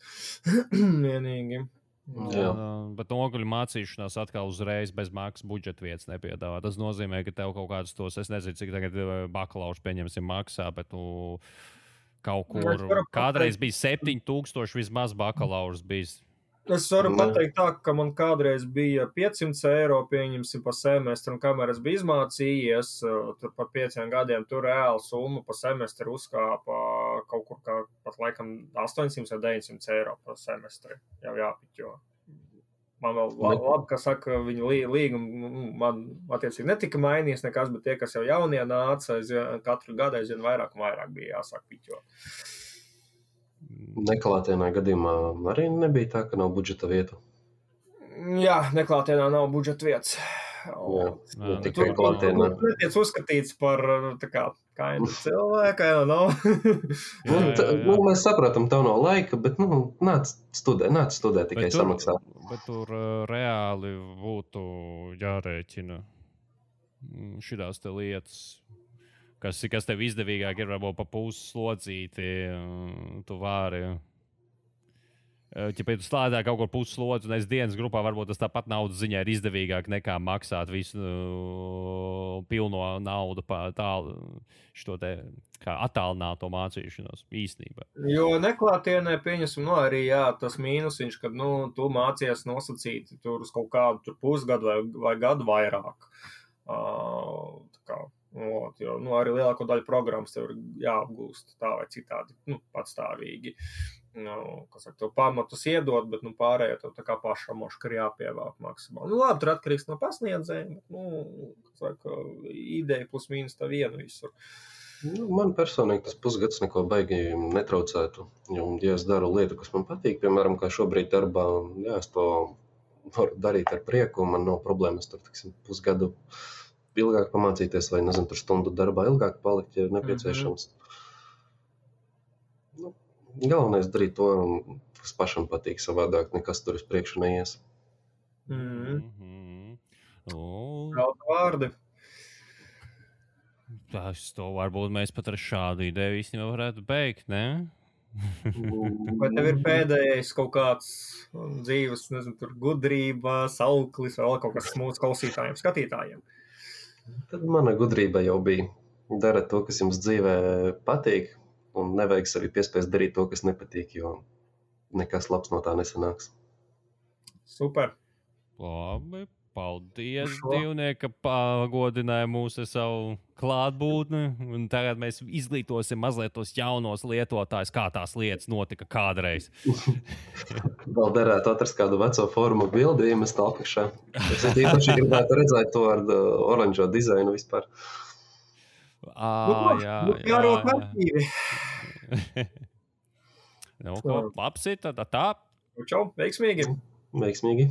B: Vienīgi.
A: Bet noguļu mācīšanās atkal uzreiz bez maksas budžeta vietas nepiedāvā. Tas nozīmē, ka tev kaut kādus tos, es nezinu, cik tagad bakalaurs pieņemsim maksā, bet kaut kur kādreiz bija 7,000 vismaz bakalaurs bijis.
B: Es varu pateikt tā, ka man kādreiz bija 500 eiro, pieņemsim pa semestru, un kamēr es biju izmācījies, tur par 5 gadiem, tur reāli summa pa semestru uzkāpa kaut kur kā pat laikam 800 vai 900 eiro pa semestri. Jau jāpiķo. Man vēl labi, ka saka, viņu līgumu man attiecīgi netika mainījies nekas, bet tie, kas jau jaunie nāca, katru gadu aizvien vairāk un vairāk bija jāsāk piķot.
C: Neklātienā gadījumā arī nebija tā, ka nav budžeta vietu.
B: Jā, neklātienā nav budžeta vietas.
C: Tikai klātienā.
B: Tur netiec uzskatīts par kainu cilvēku, nav.
C: Mēs saprotam, tev nav laika, bet nāc studē, tikai samaksā.
A: Bet tur reāli būtu jārēķina šitās te lietas. Kas tev izdevīgāk ir, varbūt pa pusi slodzīti, tu vari. Ja tu slēdā kaut kur pusi slodzi un es dienas grupā, varbūt tas tāpat naudas ziņā ir izdevīgāk nekā maksāt visu pilno naudu šo te kā attālināto mācīšanos īstenībā.
B: Jo neklātienē pieņemsim, arī tas mīnusiņš, kad tu mācies nosacīti tur uz kaut kādu pusgadu vai gadu vairāk. Jo arī lielāko daļu programmas tev ir jāapgūst tā vai citādi, patstāvīgi. Tev pamatus iedod, bet pārējā tev tā kā pašam moška ir jāpievāk maksimāli. Labi, tur atkarīgs no pasniedzējiem, bet, ideja plus mīnus tā vienu visur.
C: Man personīgi tas pusgads neko baigi netraucētu. Ja es daru lietu, kas man patīk, piemēram, kā šobrīd darbā, es to varu darīt ar prieku, man nav problēmas tur, pusgadu ilgāk pamācīties vai, nezinu, tur stundu darbā ilgāk palikt, ja ir nepieciešams. Galvenais darīt to, kas pašam patīk savādāk, nekas tur uz priekšu neies.
B: Kaut vārdi.
A: To varbūt mēs pat ar šādu ideju īstenībā varētu beigt, ne?
B: Vai tev ir pēdējais kaut kāds dzīves, nezinu, tur gudrība, sauklis vai vēl kaut kas mūsu klausītājiem, skatītājiem?
C: Tad mana gudrība jau bija. Dara to, kas jums dzīvē patīk, Un nevajag sevi piespiest darīt to, kas nepatīk, jo nekas labs no tā nesanāks.
B: Super.
A: Labi, paldies, Divnieki, ka pagodināja mūs ar savu klātbūtni. Un tagad mēs izglītosim mazliet tos jaunos lietotājus, kā tās lietas notika kādreiz.
C: Vēl derētu atrast kādu veco formu bildi, iemest apakšā. Es īpaši gribētu redzēt to ar oranžo dizainu vispār.
B: Jārot aktīvi.
A: Nu, ko, labs ir, tad tā.
B: Čau, veiksmīgi.
C: Veiksmīgi.